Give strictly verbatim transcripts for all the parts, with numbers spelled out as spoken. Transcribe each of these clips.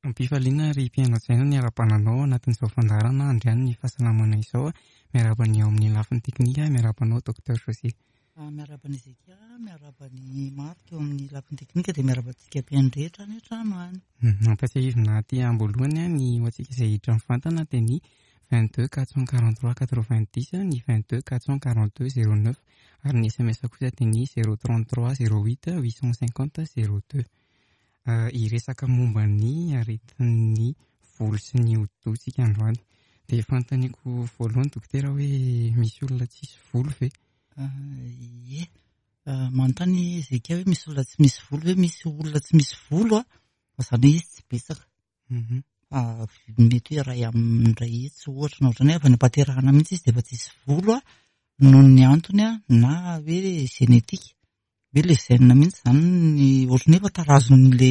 Am-pifaliana ry mpihaino hajaina ny ara-pananao anatin'izao fandaharana andriany ny fahasalamana izao. Miarahaba ny ao amin'ny lafiny teknika, miarahaba anao Docteur José. Miarahaba an'i Ezekia, miarahaba ny Marc eo amin'ny lafiny teknika, dia miarahaba antsika mpihaino rehetra any an-trano any. Ampatsiahivina aty am-boalohany ny ho antsika izay hiditra mivantana dia ny vingt-deux quatre cent quarante-trois quatre-vingt-dix, ny vingt-deux quatre cent quarante-deux zéro neuf, ary ny S M S kosa dia ny zéro trente-trois zéro huit huit cent cinquante zéro deux. Hiresaka momba ny aretin'ny volo sy ny hodi-doha isika androany. Dia fanontaniako voalohany dokotera hoe misy olona tsisy volo ve? Ie, manontany Ezekia hoe misy olona tsy misy volo ve? Misy olona tsy misy volo a, fa izany hoe izy tsy betsaka. Fa mety hoe iray amin'ny iray hetsy ohatra na ohatran'ny hoe avy any am-pahaterahana mihitsy izy dia efa tsisy volo a, noho ny antony a, na hoe génétique. Hoe le gène mihitsy izany ny ohatran'ny hoe efa tarazon'le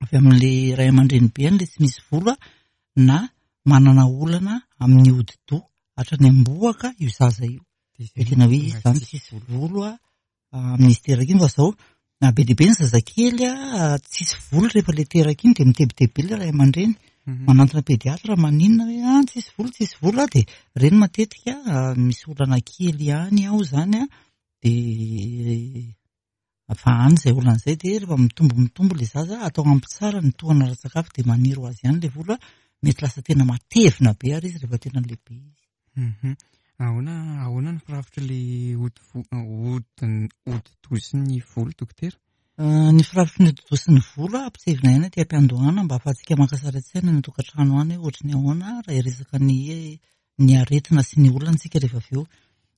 avy amin'le ray aman-dreny be any le tsy misy volo a, na manana olana amin'ny hodi-doha hatrany am-bohoka io zaza io. Dia tena hoe izy izany tsisy volo a, amin'izy teraka iny. Fa izao, na be dia be ny zazakely a, tsisy volo rehefa le teraka iny dia mitebiteby be le ray aman-dreny. Manantona pédiatre maninona hoe ah, tsisy volo, tsisy volo a, dia ireny matetika misy olana kely ihany ao izany a, dia fa any izay olana izay dia rehefa mitombo mitombo le zaza atao ampy tsara ny tohana ara-tsakafo dia maniry ho azy ihany le volo a, mety lasa tena matevina be ary izy rehefa tena lehibe izy. Mhm. Ahoana, ahoana ny firafitry le hodi-vo-, hodi-, hodi-doha sy ny volo dokotera? Ny firafitry ny hodi-doha sy ny volo a, ampitsevina ihany aty am-piandohana mba ahafahantsika maka sary an-tsaina ny tokantrano any hoe ohatry ny ahoana raha hiresaka ny, ny aretina sy ny olana isika rehefa avy eo.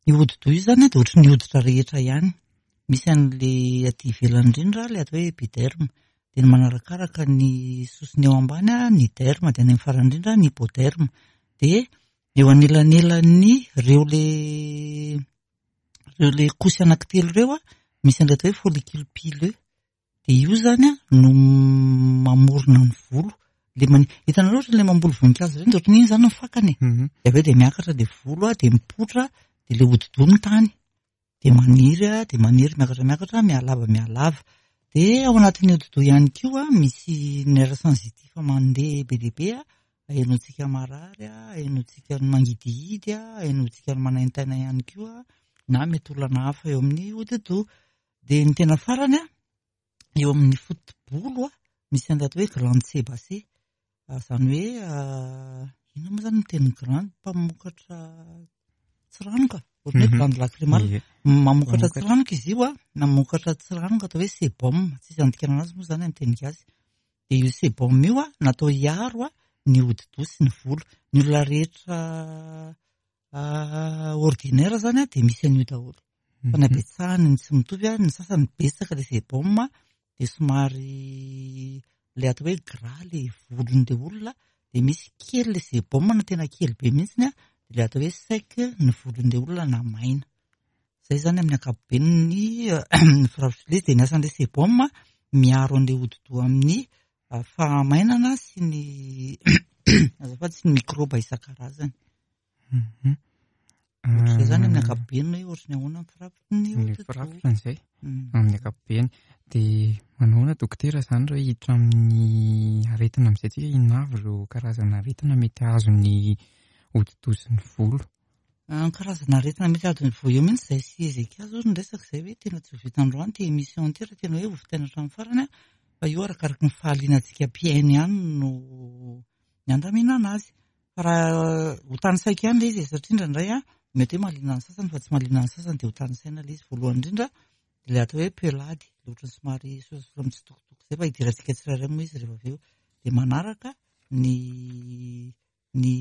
Ny hodi-doha io izany dia ohatry ny hoditra rehetra ihany. Misy an'le aty ivelany indrindra, le atao hoe épiderme. Dia ny manarakaraka ny sosony eo ambany a, ny derme, dia any amin'ny farany indrindra ny hypoderme. Dia eo anelanelan'ny reo le, reo le kosy anankitelo ireo a, misy an'ilay atao hoe follicule pileux. Dia io izany a no mamorona ny volo. Le mani-, hitanareo ohatra le mamboly voninkazo ireny dia ohatran'iny izany ny fakany e. Mhm. Dia avy eo dia miakatra le volo a, dia mipoitra, dia le hodi-doha ny tany. Dia maniry a, dia maniry miakatra miakatra, mihalava mihalava. Dia ao anatin'ny hodi-doha ihany koa a, misy nerf sensitif mandeha be dia be a, ahenoantsika marary a, ahenoantsika ny mangidihidy a, ahenoantsika ny manaintaina ihany koa, na mety olana hafa eo amin'ny hodi-doha. Dia ny tena farany a, eo amin'ny foto-bolo a, misy an'ilay atao hoe glande sébacée. Izany hoe, inona moa izany ny teny glande? Mpamokatra tsiranoka, ohatran'ny hoe Mhm. glande lacrymale. Ie. Mamokatra Mamokatra. tsiranoka izy io a, mamokatra tsiranoka atao hoe sébum, tsisy andikana anazy moa izany amin'ny teny gasy. Dia io sébum io a, natao hiaro a ny hodi-doha sy ny volo. Ny olona rehetra, ah, ordinaire zany a, dia misy an'io daholo. Fa ny Mhm. habetsahany ny tsy mitovy a, ny sasany betsaka le sébum a, dia somary le atao hoe gras le volon'ilay olona, dia misy kely le sébum na tena kely be mihitsiny a, dia le atao hoe sec ny volon'ilay olona na maina. Izay zany amin'ny ankapobeny ny, ny firafitry ilay izy. Dia ny asan'ilay sébum a, miaro an'ilay hodi-doha amin'ny fahamainana sy ny azafady, sy ny mikrôba isan-karazany. Mhm. Ohatr'izay zany amin'ny ankapobeny hoe ohatry ny ahoana ny firafitry ny Ny hodi-doha. firafitra izay, Mm. amin'ny ankapobeny. Dia manahoana dokotera izany raha hiditra amin'ny aretina amin'izay tsika, inona avy ireo karazana aretina mety hahazo ny hodi-doha sy ny volo? Ny karazana aretina mety hahazo ny volo eo mihitsy izay sy Ezekia zao ny resaka izay hoe tena tsy ho vita androany ity émission ity raha tena hoe ho vitaina hatramin'ny farany a, fa io arakaraky ny fahalianantsika mpihaino ihany no ny andaminana azy. Fa raha ho tanisaiko ihany ilay izy satria indraindray a, mety hoe mahaliana ny sasany fa tsy mahaliana ny sasany dia ho tanisaina ilay izy. Voalohany indrindra ilay atao hoe pelady, ilay ohatran'ny somary sososa mitsitokotoko izay fa hidirantsika tsirairay moa izy rehefa avy eo. Dia manaraka ny, ny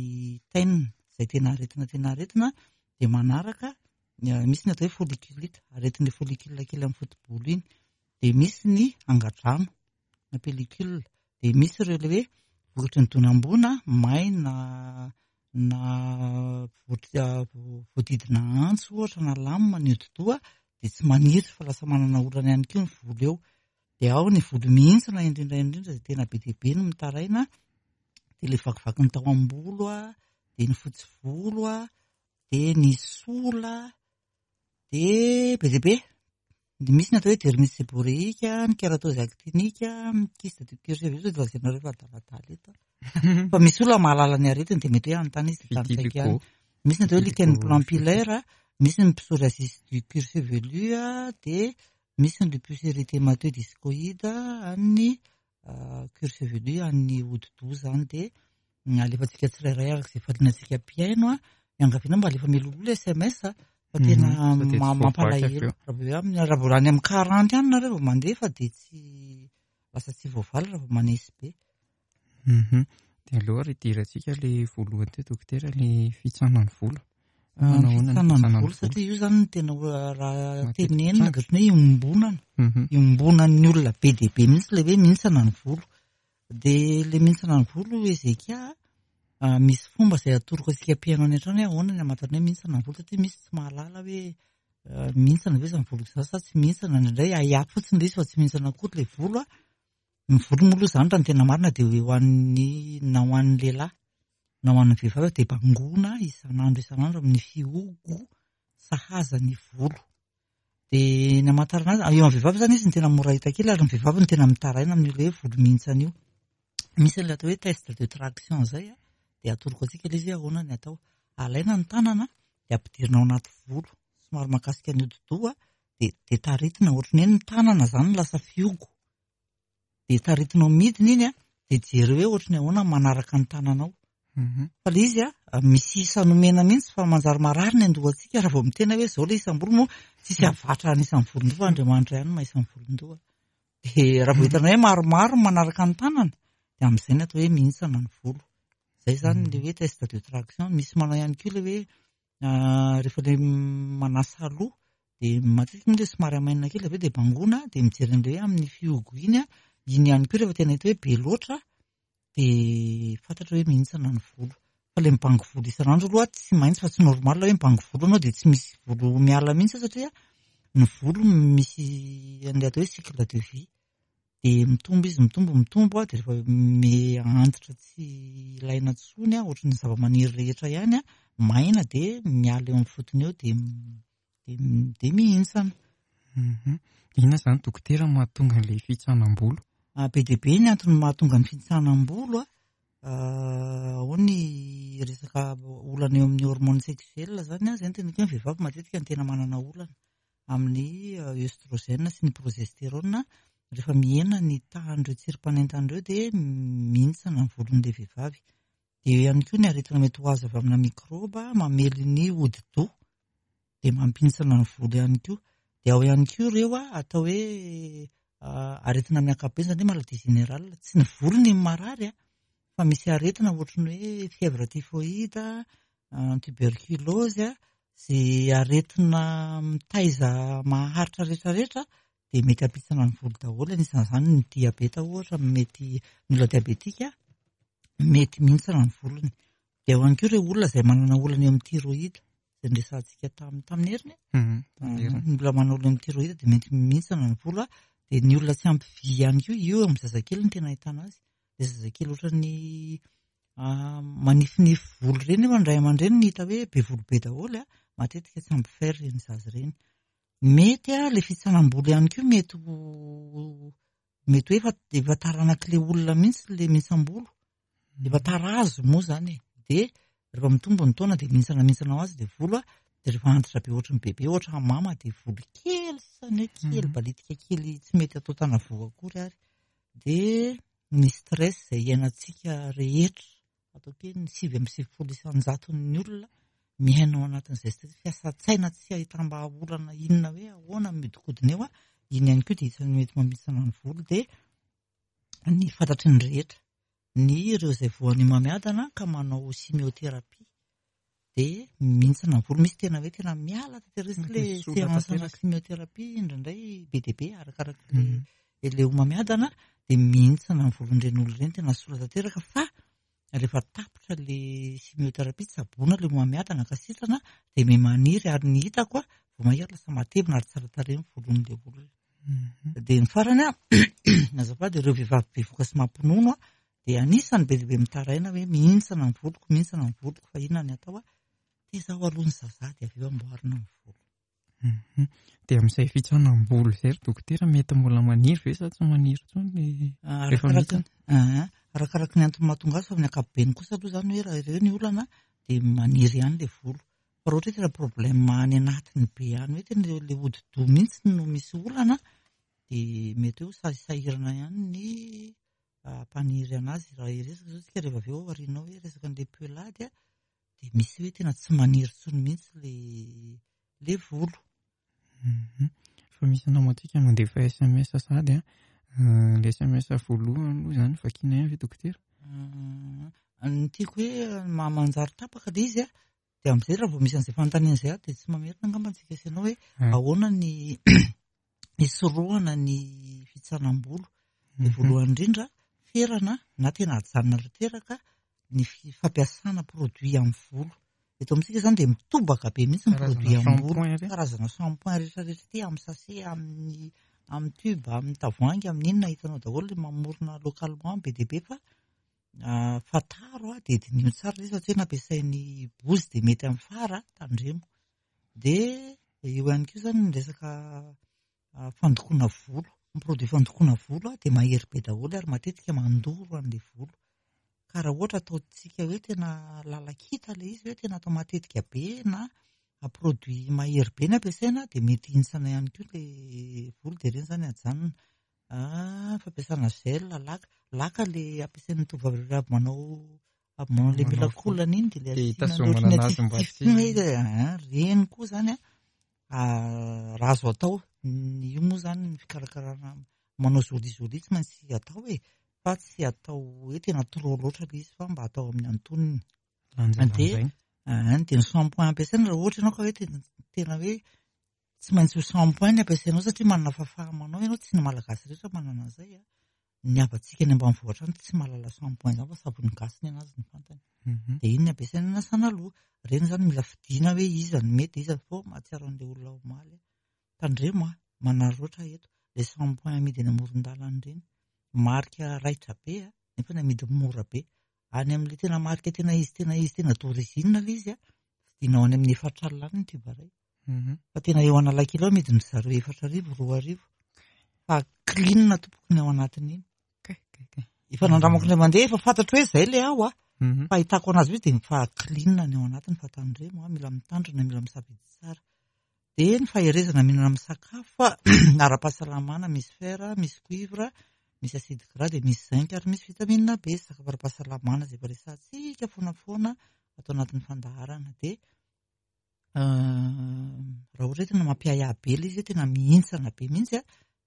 taine izay tena aretina, tena aretina, dia manaraka ny, misy ny atao hoe folliculite, aretin'ilay follicule kely amin'ny foto-bolo iny. Dia misy ny angadrano na pellicule, dia misy ireo ilay hoe vokatry ny donam-boana maina na voa-, voadidina antso ohatra na lamina ny hodi-doha dia tsy maniry fa lasa manana olana ihany koa ny volo eo. Dia ao ny volo mihintsana indrindra indrindra izay tena be dia be no mitaraina, dia ilay vakivaky ny tao am-bolo a, dia ny fotsy volo a, dia ny sola, dia be dia be. Misy ny atao hoe dermite séborrhéique, ny kératose actinique, ny kyste du cuir chevelu, sao dia lazainareo fa adaladala eto. Fa misy olona mahalala ny aretiny dia mety hoe hanontany izy dia tanisaiko ihany. Misy ny atao hoe lichen plan pilaire, misy ny psoriasis du cuir chevelu, dia misy ny lupus érythémateux discoïde an'ny cuir chevelu an'ny hodi-doha zany. Dia alefantsika tsirairay araka izay falianantsika mpihaino a, iangaviana mba alefa mialoha S M S fa tena mampalahelo. Raha vao amin'ny raha vao any amin'ny quarante any nareo vao mandefa dia tsy lasa tsy voavaly raha vao manesy be. Dia aloha ry idirantsika le voalohany teo dokotera, le fitsanan'ny volo. Fitsanan'ny volo satria io zany no tena raha tenenina dia ohatran'ny hoe iombonana. Iombonan'ny olona be dia be mihitsy ilay hoe mihintsana ny volo. Dia le mihintsana ny volo Ezekia, misy fomba izay atoroko antsika mpihaino any an-trano hoe ahoana ny hamantarana hoe mihintsana ny volo, satria misy tsy mahalala hoe mihintsana ve izany volo izany sa tsy mihintsana. Indraindray ahiahy fotsiny ilay izy fa tsy mihintsana akory ilay volo a. Ny volo moa aloha izany raha ny tena marina dia ho an'ny na ho an'ny lehilahy na ho an'ny vehivavy dia bangoina isan'andro isan'andro amin'ny fihogo sahaza ny volo. Dia ny hamantarana azy, eo amin'ny vehivavy izany izy no tena mora hita kely, ary ny vehivavy no tena mitaraina amin'io ilay volo mihintsana io. Misy an'ilay atao hoe test de traction izay a, dia atoroko antsika ilay izy hoe ahoana ny atao. Alaina ny tanana dia ampidirina ao anaty volo, somary mahakasika ny hodi-doha, dia dia taritina ohatran'ny hoe ny tanana izany no lasa fihogo. Dia taritinao midina iny a, dia jereo hoe ohatran'ny ahoana manaraka ny tananao. Fa ilay izy a, misy isa nomena mihitsy fa manjary marary ny andohantsika raha vao mitena hoe izao ilay isam-bolo moa tsisy havatra any isan'ny volon-doha fa Andriamanitra ihany no maha isan'ny volon-doha. Dia raha vao hitanao hoe maromaro manaraka ny tanana, dia amin'izay ny atao hoe mihintsana ny volo. Izay izany ilay hoe test de traction. Misy manao ihany koa ilay hoe rehefa ilay manasa loha dia matetika moa ilay somary hamainina kely avy eo dia bangoina, dia mijery an'ilay hoe amin'ny fihogo iny a, iny ihany koa rehefa tena hita hoe be loatra dia fantatra hoe mihintsana ny volo. Fa ilay mibango volo isan'andro aloha tsy maintsy, fa tsy normal hoe mibango volo anao dia tsy misy volo miala mihitsy, satria ny volo misy an'ilay atao hoe cycle de vie. Dia mitombo izy, mitombo, mitombo a, dia rehefa miantitra tsy ilaina intsony a, ohatran'ny zava-maniry rehetra ihany a, maina dia miala eo amin'ny fotony eo dia dia dia mihintsana. Inona izany dokotera mahatonga an'ilay fitsanam-bolo? Be dia be ny antony mahatonga ny fitsanam-bolo a. Ao ny resaka olana eo amin'ny hormone sexuelle izany a, izay no tena hoe ny vehivavy matetika no tena manana olana amin'ny œstrogène sy ny progestérone. Rehefa mihena ny tahan'ireo tsirim-panentana ireo dia mihintsana ny volon'ilay vehivavy. Dia eo ihany koa ny aretina mety ho azo avy amina mikrôba mamely ny hodi-doha dia mampihintsana ny volo ihany koa. Dia ao ihany koa ireo a, atao hoe aretina amin'ny ankapobeny izany hoe maladie générale. Tsy ny volo ny marary a, fa misy aretina ohatran'ny hoe fièvre typhoïde, tuberculose, izay aretina mitaiza maharitra rehetrarehetra dia mety hampihitsana ny volo daholo. Anisan'izany ny diabeta ohatra, mety ny olona diabetika mety mihintsana ny volony. Dia ao ihany koa ireo olona izay manana olana eo amin'ny thyroïde, izay noresahantsika tamin'ny tamin'ny heriny. Ny olona manana olana amin'ny thyroïde dia mety mihintsana ny volo. Dia ny olona tsy ampy vy ihany koa, io amin'ny zazakely no tena ahitana azy. Ilay zazakely ohatran'ny manifinify volo ireny, nefa ny ray aman-dreny no hita hoe be volo be daholo a, matetika tsy ampy fer ireny zaza ireny. Mety a, ilay fitsanam-bolo ihany koa mety ho mety hoe efa efa taranak'ilay olona mihitsy ilay mihintsam-bolo. Efa tarazo moa izany e. Dia rehefa mitombo ny taona dia mihintsana mihintsana ho azy dia volo a, dia rehefa antitra be ohatran'ny bebe ohatra mama dia volo kely sisany hoe kely balitika kely tsy mety atao tanavoa akory ary. Dia ny stress izay iainantsika rehetra, ataoko hoe ny sivy amby sivifolo isan-jaton'ny olona miaina ao anatin'izay stress, fiasan-tsaina tsy ahitam-bahaolana inona hoe ahoana mihodinkodina eo a, iny ihany koa dia isan'ny mety mampihintsana ny volo. Dia ny fantatry ny rehetra, ny ireo izay voan'ny homamiadana ka manao chimiothérapie dia mihintsana ny volo. Misy tena hoe tena miala tanteraka ilay séance na chimiothérapie indraindray be dia be arakaraka ilay ilay homamiadana dia mihintsana ny volon'ireny olona ireny, tena sola tanteraka. Fa rehefa tapitra ilay chimiothérapie, tsaboina ilay homamiadana ka sitrana dia miha-maniry, ary ny hitako a, vao mahia lasa matevina ary tsara tarehy ny volon'ilay olona. Dia ny farany a, azafady, ireo vehivavy bevohoka sy mampinono a, dia anisan'ny be dia be mitaraina hoe mihintsana ny voloko, mihintsana ny voloko, fa inona ny atao a? Tezao aloha ny zaza dia avy eo amboarina ny volo. Mhm. Dia amin'izay fitsanam-bolo izay ry dokotera, mety mbola maniry ve sa tsy maniry intsony le rehefa Arakaraka mihitsana? ah, arakaraka ny antony mahatonga azy, fa amin'ny ankapobeny kosa aloha zany hoe raha ireo ny olana dia maniry ihany le volo. Fa raha ohatra hoe tena problème any anatiny be any, hoe tena le hodi-doha mihitsy no misy olana, dia mety hoe ho sahisahirana ihany ny hampaniry anazy. Raha hiresaka zao tsika rehefa avy eo aorianao hoe resaka an'le pelade, dia misy hoe tena tsy maniry intsony mihitsy le le volo. Mhm. Fa misy namantsika mandefa S M S sady a. Euh, le S M S voalohany aloha zany vakiana ihany ve dokotera? Euh, ny tiako hoe ma-, manjary tapaka le izy a, dia amin'izay raha vao misy an'izay fanontaniana izay a, dia tsy mamerina angamba antsika sy ianao hoe Ah. ahoana ny hisorohana ny fitsanam-bolo. Dia Mhm. voalohany indrindra, ferana na tena ajanona tanteraka ny fi-, fampiasana produit amin'ny volo. Eto amintsika zany dia mitobaka be mihitsy ny Karazana produit amin'ny volo. shampoing re. Karazana shampoing rehetrarehetra ity, amin'ny sachet, amin'ny, amin'ny tube, amin'ny tavoahangy, amin'ny inona hitanao daholo le mamorona localement be dia be, fa, ah, fantaro a, dia diniho tsara ilay izy fa tsy hoe nampiasain'ny bozy dia mety amin'ny fara, tandremo. Dia eo ihany koa zany ny resaka, ah, fandokoana volo. Ny produit fandokoana volo a, dia mahery be daholo ary matetika mandoro an'ilay volo. Ka raha ohatra ataontsika hoe tena lalakita ilay izy, hoe tena atao matetika be na produit mahery be ny ampiasaina, dia mety hintsana ihany koa ilay volo, dia ireny zany ajanona. Ah, fampiasana gel, laka. Laka le ampiasain'ny tovovavy avy manao, avy manao le Manao mila volo. kolana iny, dia le Dia asiana hitazomana ohatran'ny anazy mba atifitry tsy hoe, ah, ireny koa zany a, ah, raha azo atao, io moa zany ny fikarakarana manao joli joli tsy maintsy atao e, fa tsy atao hoe tena trop loatra ilay izy, fa mba atao amin'ny antonony. Lanjalanjaina. Dia, ah, dia ny shampoing ampiasaina, raha ohatra ianao ka hoe tena, tena hoe tsy maintsy ho shampoing ny ampiasainao satria manana fahafaha-manao ianao, tsy ny Malagasy rehetra manana an'izay a. Ny havantsika any ambanivohitra any tsy mahalala shampoing izany fa savony gasy ny anazy ny fantany. Mhm. Dia iny ny ampiasaina anasana loha. Ireny zany mila fidiana hoe iza no mety, iza fô mahatsiaro an'ilay olona omaly. Tandremo a, manararaotra eto. Le shampoing amidy eny amoron-dalana ireny, marika raitra be a, nefa ny amidy mora be. Any amin'ilay tena marika tena izy, tena izy, tena d'origine ilay izy a, fidinao any amin'ny efatra alina any ny tube iray. Mhm. Fa tena eo Analakely ao amidin-dry zareo efatra arivo, roa arivo. Fa clean tompoko ny ao anatin'iny. Kay, kay, kay. Efa nandramako indray mandeha, efa fantatro hoe izay ilay ao a. Mhm. Fahitako anazy mihitsy dia fa clean ny ao anatiny, fa tandremo a, mila mitandrina, mila misafidy tsara. Dia ny faherezana mihinana amin'ny sakafo a, ara-pahasalamana, misy fer, misy cuivre, misy acide gras, dia misy zinc ary misy vitamine B. Sakafo ara-pahasalamana izay efa resahantsika foana foana atao anatin'ny fandaharana. Dia, euh, raha ohatra hoe tena mampiahiahy be ilay izy, hoe tena mihintsana be mihitsy a,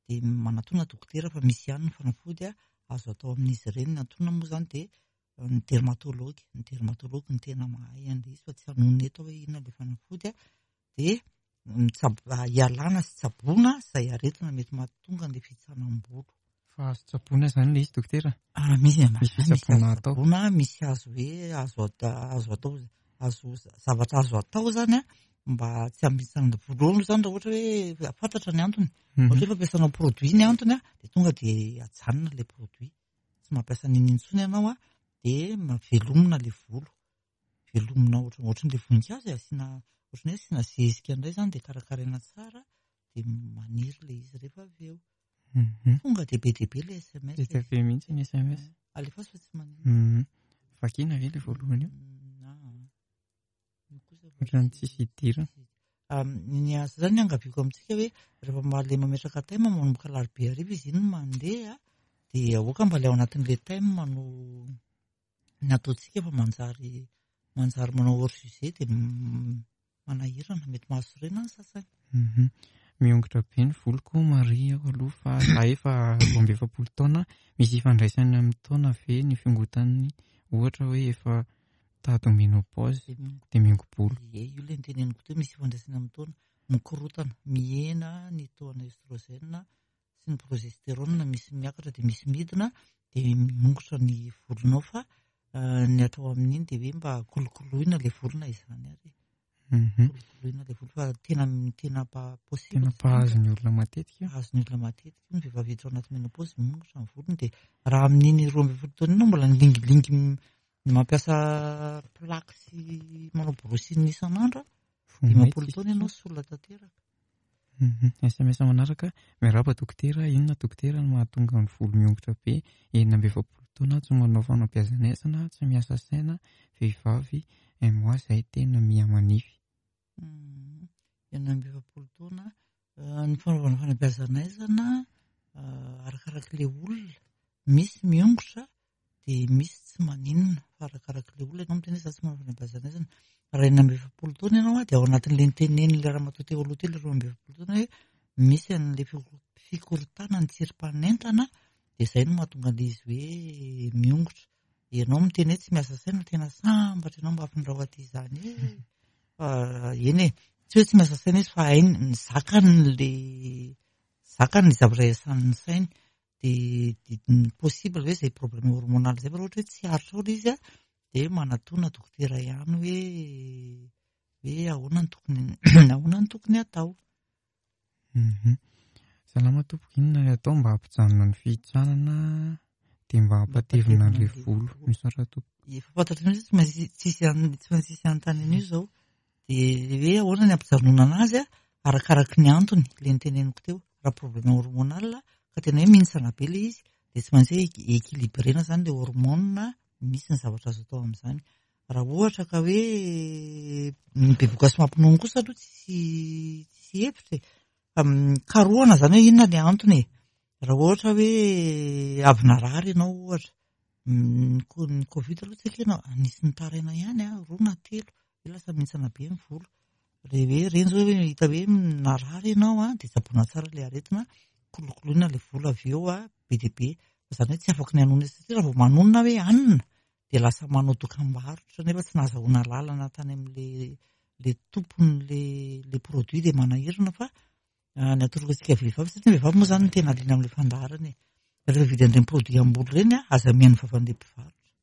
dia manatona dokotera fa misy ihany ny fanafody a, azo atao amin'izy ireny. Ny antonona moa izany dia ny dermatologue, ny dermatologue no tena mahay an'ilay izy fa tsy hanonona eto hoe inona ilay fanafody a. Dia mitsabo-, ialana sy tsaboina izay aretina mety mahatonga an'ilay fitsanam-bolo. Fa azo tsaboina izany ilay izy dokotera? Ah, misy, Misy misy fitsaboana azo atao. tsaboina, misy azo hoe azo ata-, azo atao, azo zavatra azo atao izany a, mba tsy hampitsanana volo aloha izany raha ohatra hoe fantatra ny antony. Mhm. Ohatra hoe fampiasana produit ny antony a, dia tonga dia ajanona ilay produit. Tsy mampiasa n'inona intsony ianao a, dia velomina ilay volo. Velomina ohatra, ohatran'ilay voninkazo e, asiana, ohatran'ny hoe asiana zezika indray izany dia karakaraina tsara, dia maniry ilay izy rehefa avy eo. Mhm. Tonga dia be dia be ilay S M S. Be dia be mihitsy ny S M S. Alefaso fa tsy manino. Mhm. Vakiana ve ilay voalohany io? Mm, ah. Io kosa fa Ohatran'ny tsy tsisy idirana. Ah, ny azy zany angaviako amintsika hoe rehefa mba le mametraka thème manomboka alarobia hariva izy iny no mandeha, dia aoka mba le ao anatin'ilay thème no ny ataontsika fa manjary, manjary manao hors sujet dia m-, manahirana, mety mahasorena ny sasany. Mhm. Miongotra be ny voloko Maria aho aloha fa za efa roa amby efapolo taona, misy ifandraisany amin'ny taona ve ny fiongotan'ny ohatra hoe efa tady ménopause dia miongo-bolo? Ie, io ilay niteneniko teo, misy ifandraisany amin'ny taona, mikorotana, mihena ny taona estrogène sy ny progestérone, misy miakatra dia misy midina, dia miongotra ny volonao fa, eh, ny atao amin'iny dia hoe mba kolokoloina ilay volona izany ary. Mhm. Kolokoloina ilay volo fa tena, tena pa-, possible Tena zany. mpahazo ny olona matetika. Mpahazo ny olona matetika, ny vehivavy hiditra ao anaty ménopause miongotra ny volony, dia raha amin'iny roa ambin'ny folo taona iny mbola nilingilingy m-, mampiasa plaque sy manao brushing isan'andro, Vao dimampolo mainka taona ianao solona tanteraka. S M S manaraka, miarahaba dokotera, inona dokotera no mahatonga ny volo miongotra be, enina amby efapolo taona, tsy manao fanabeazana, tsy miasa saina, vehivavy, un mois izay tena mihamanify. Enina amby efapolo taona, ny fanaovana fanabeazana arakarak'ilay olona, misy miongotra dia misy tsy maninona, fa arakarak'ilay olona ianao miteny hoe za tsy manao fanabeazana. Raha enina amby efapolo taona ianao dia ao anatin'ilay nitenen'ilay ramatoa teo aloha teo, ilay roa amby efapolo taona hoe misy an'ilay fikorontanana ny tsirim-panentana, dia izay no mahatonga an'ilay izy hoe miongotra. Ianao miteny hoe tsy miasa saina, tena sambatra ianao mba afindrao aty izany e. Fa eny e, tsy hoe tsy miasa saina izy fa hainy ny zakany ilay zakany ny zavatra iasan'ny sainy. Dia possible hoe izay problème hormonal izay, fa raha ohatra hoe tsy aritra ao ilay izy a, dia manatona dokotera ihany hoe hoe ahoana ny tokony ahoana ny tokony atao. Salama tompoko, inona ny atao mba hampijanona ny fihitsanana dia mba hampatevina ilay volo? Misaotra tompoko. Efa fantatro mihitsy tsy maintsy tsisy an-, tsy maintsy tsisy anontany an'io izao. Dia hoe ahoana ny hampijanonana anazy a, arakaraky ny antony ilay niteneniko teo. Raha problème hormonal ka tena hoe mihintsana be ilay izy, dia tsy maintsy hoe équilibrena izany ilay hormone, misy ny zavatra azo atao amin'izany. Raha ohatra ka hoe ny bevoka sy mampinono kosa aloha tsisy, tsisy hevitra e. Fa karohana izany hoe inona ny antony e. Raha ohatra hoe avy narary ianao ohatra, ny co-, ny Covid aloha tsy ekena, nisy nitaraina ihany a, roa na telo, hoe lasa mihintsana be ny volo. Rehefa hoe ireny izao hoe hita hoe narary ianao a, dia tsaboina tsara ilay aretina, kolokoloina ilay volo avy eo a, be dia be. Fa izany hoe tsy afaka ny hanonona satria raha vao manonona hoe hanina, dia lasa manao dokam-barotra nefa tsy nahazahoana lalana tany amin'ilay le tompon'ilay le produit, dia manahirana. Fa ny atoroko antsika vehivavy, satria ny vehivavy moa izany no tena liana amin'ilay fandaharana e. Rehefa vidy an'ireny produit am-bolo ireny a, aza mihaino vavan'ilay mpivarotra,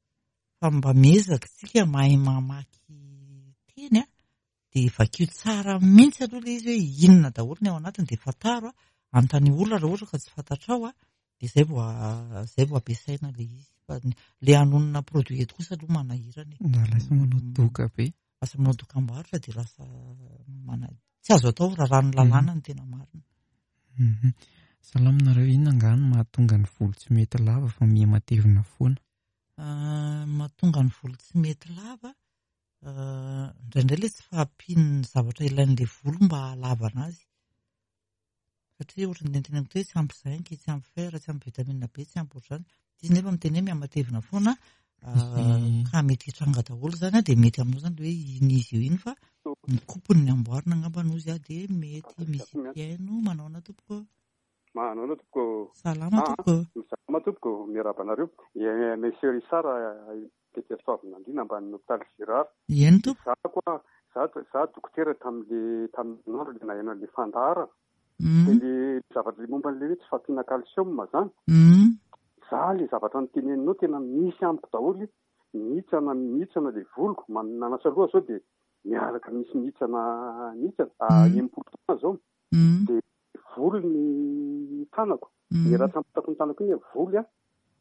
fa mba miezaka isika mahay mamaky teny a, dia vakio tsara mihitsy aloha ilay izy hoe inona daholo ny ao anatiny, dia fantaro a, anontany olona raha ohatra ka tsy fantatrao a, dia izay vao izay vao ampiasaina ilay izy. Fa ilay hanonona produit eto kosa aloha manahirana e. Na lasa manao doka be. Lasa manao dokam-barotra dia lasa mana-, tsy azo atao raha rano lalàna ny tena marina. Salama nareo, inona angaha no mahatonga ny volo tsy mety lava fa miha matevina foana? Mahatonga ny volo tsy mety lava, indraindray ilay tsy fahampian'ny zavatra ilain'ilay volo mba hahalavana azy. Satria ohatran'ny niteneniko teo hoe tsy ampy zinc, tsy ampy fer, tsy ampy vitamine B, tsy ampy ohatr'izany. Izy nefa miteny hoe mihamatevina foana, ka mety hitranga daholo izany a, dia mety aminao izany hoe iny izy io iny fa ny kopony ny amboarina angamba noho izy a, dia mety misy mpihaino. Manao ahoana tompoko? Manao ahoana tompoko? Salama tompoko. Salama tompoko, miarahaba anareo. Monsieur Richard, Peter Soavinandriana ambany hôpitaly Girard. Eny tompoko. Za koa, za, za dokotera tamin'le, tamin'ny andro le naheno an'le fandaharana. Mm. Dia le zavatra momba an'le hoe tsy fahampiana calcium zany. Mm. Za le zavatra niteneninao tena misy amiko daholo, mihitsana, mihitsana le voloko, man-, nanasa loha zao dia miaraka misy mihitsana, mihitsana, ah, Mm. enimpolo taona zao. Mm. Dia volo ny tanako. Mm. Ny ratram-patako ny tanako iny voly a,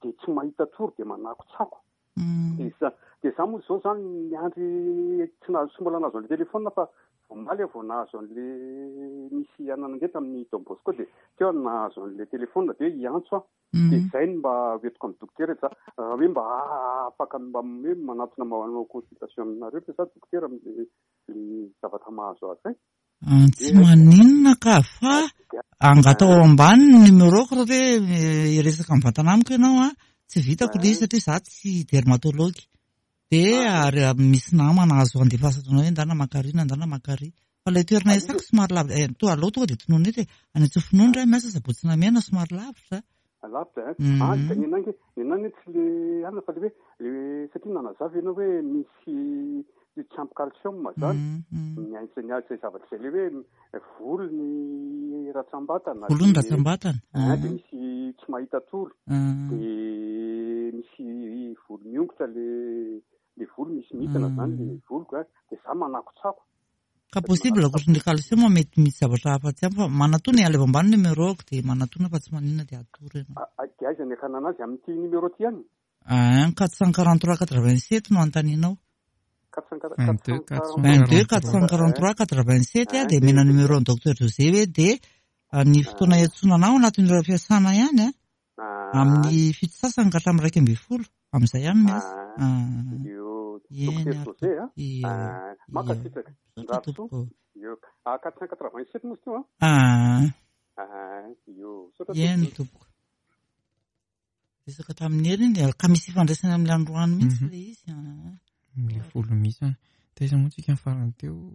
dia tsy mahita tory dia manakotsako. Mm. Dia za, dia za moa zao zany niandry tsy nahazo, tsy mbola nahazo an'ilay telefona fa omaly aho vao nahazo an'ilay misy anana tamin'ny Don Bosco, dia teo aho nahazo an'ilay telefona dia hiantso aho. Mm. Dia izay no mba hoentiko amin'ny dokotera, za raha hoe mba afaka mba hoe manatona manao consultation aminareo fa za dokotera amin'ilay zavatra mahazo azy e. Ah, tsy maninona ka, fa angatao ao ambany ny numéro-ko raha hoe hiresaka mivantana amiko ianao a, tsy vitako ilay izy satria za tsy dermatologue. Dia ary misy namana azo andefasana anao hoe ndana makary na ndana makary. Fa ilay toerana iasako somary lavitra, eh, to aloha tonga dia tononina eto e. Any Antsofinondro aho miasa Sabotsy Namehana somary lavitra. Lavitra, eh? Mm. Ah, dia ny anangy, ny anangy tsy le anana fa le hoe, le satria nanazava ianao hoe misy tsy ampy calcium zany. Mm, mm. Ny ain-, ny ain-, izay zavatra izay le hoe volo ny ratsambatana. Volo ny ratsambatana. Ah, dia Mm. misy tsy mahita tory. Mm. Dia misy volo miongotra le, le volo misy mihitsana zany le Mm. voloko, eh. Dia za manakotsako. Ka possible ankoatry ny calcium mety misy zavatra hafa tsy ampy fa manatona e, alefa ambany numéro-ko dia manatona fa tsy maninona dia atoro ianao. Ah, ah, dia aiza ny akanana azy amin'ity numéro ty ihany? Ah, quatre cent quarante-trois quatre-vingt-sept no anontanianao. Vingt-deux, quatre cent Vingt-deux quatre cent quarante-trois quatre-vingt-sept a, dia mena numéro ny docteur José hoe dia ny fotoana iantsoana anao anatin'ny ora fiasana ihany a, amin'ny fito sasany ka hatramin'ny iraika ambin'ny folo, amin'izay ihany miasa. Io Eny docteur ary José a. Io. Ah, mankasitraka. Misaotra Ndraso. tompoko. Io. Ah, quatre cent quatre-vingt-sept moa izy teo a. Ah, Ah, io. Misaotra eny tompoko. tompoko. Resaka tamin'ny hery iny, ka misy ifandraisana amin'ny androany mihitsy Mhm. le izy. Ah. Le volo misy. Taiza moa tsika ny farany teo?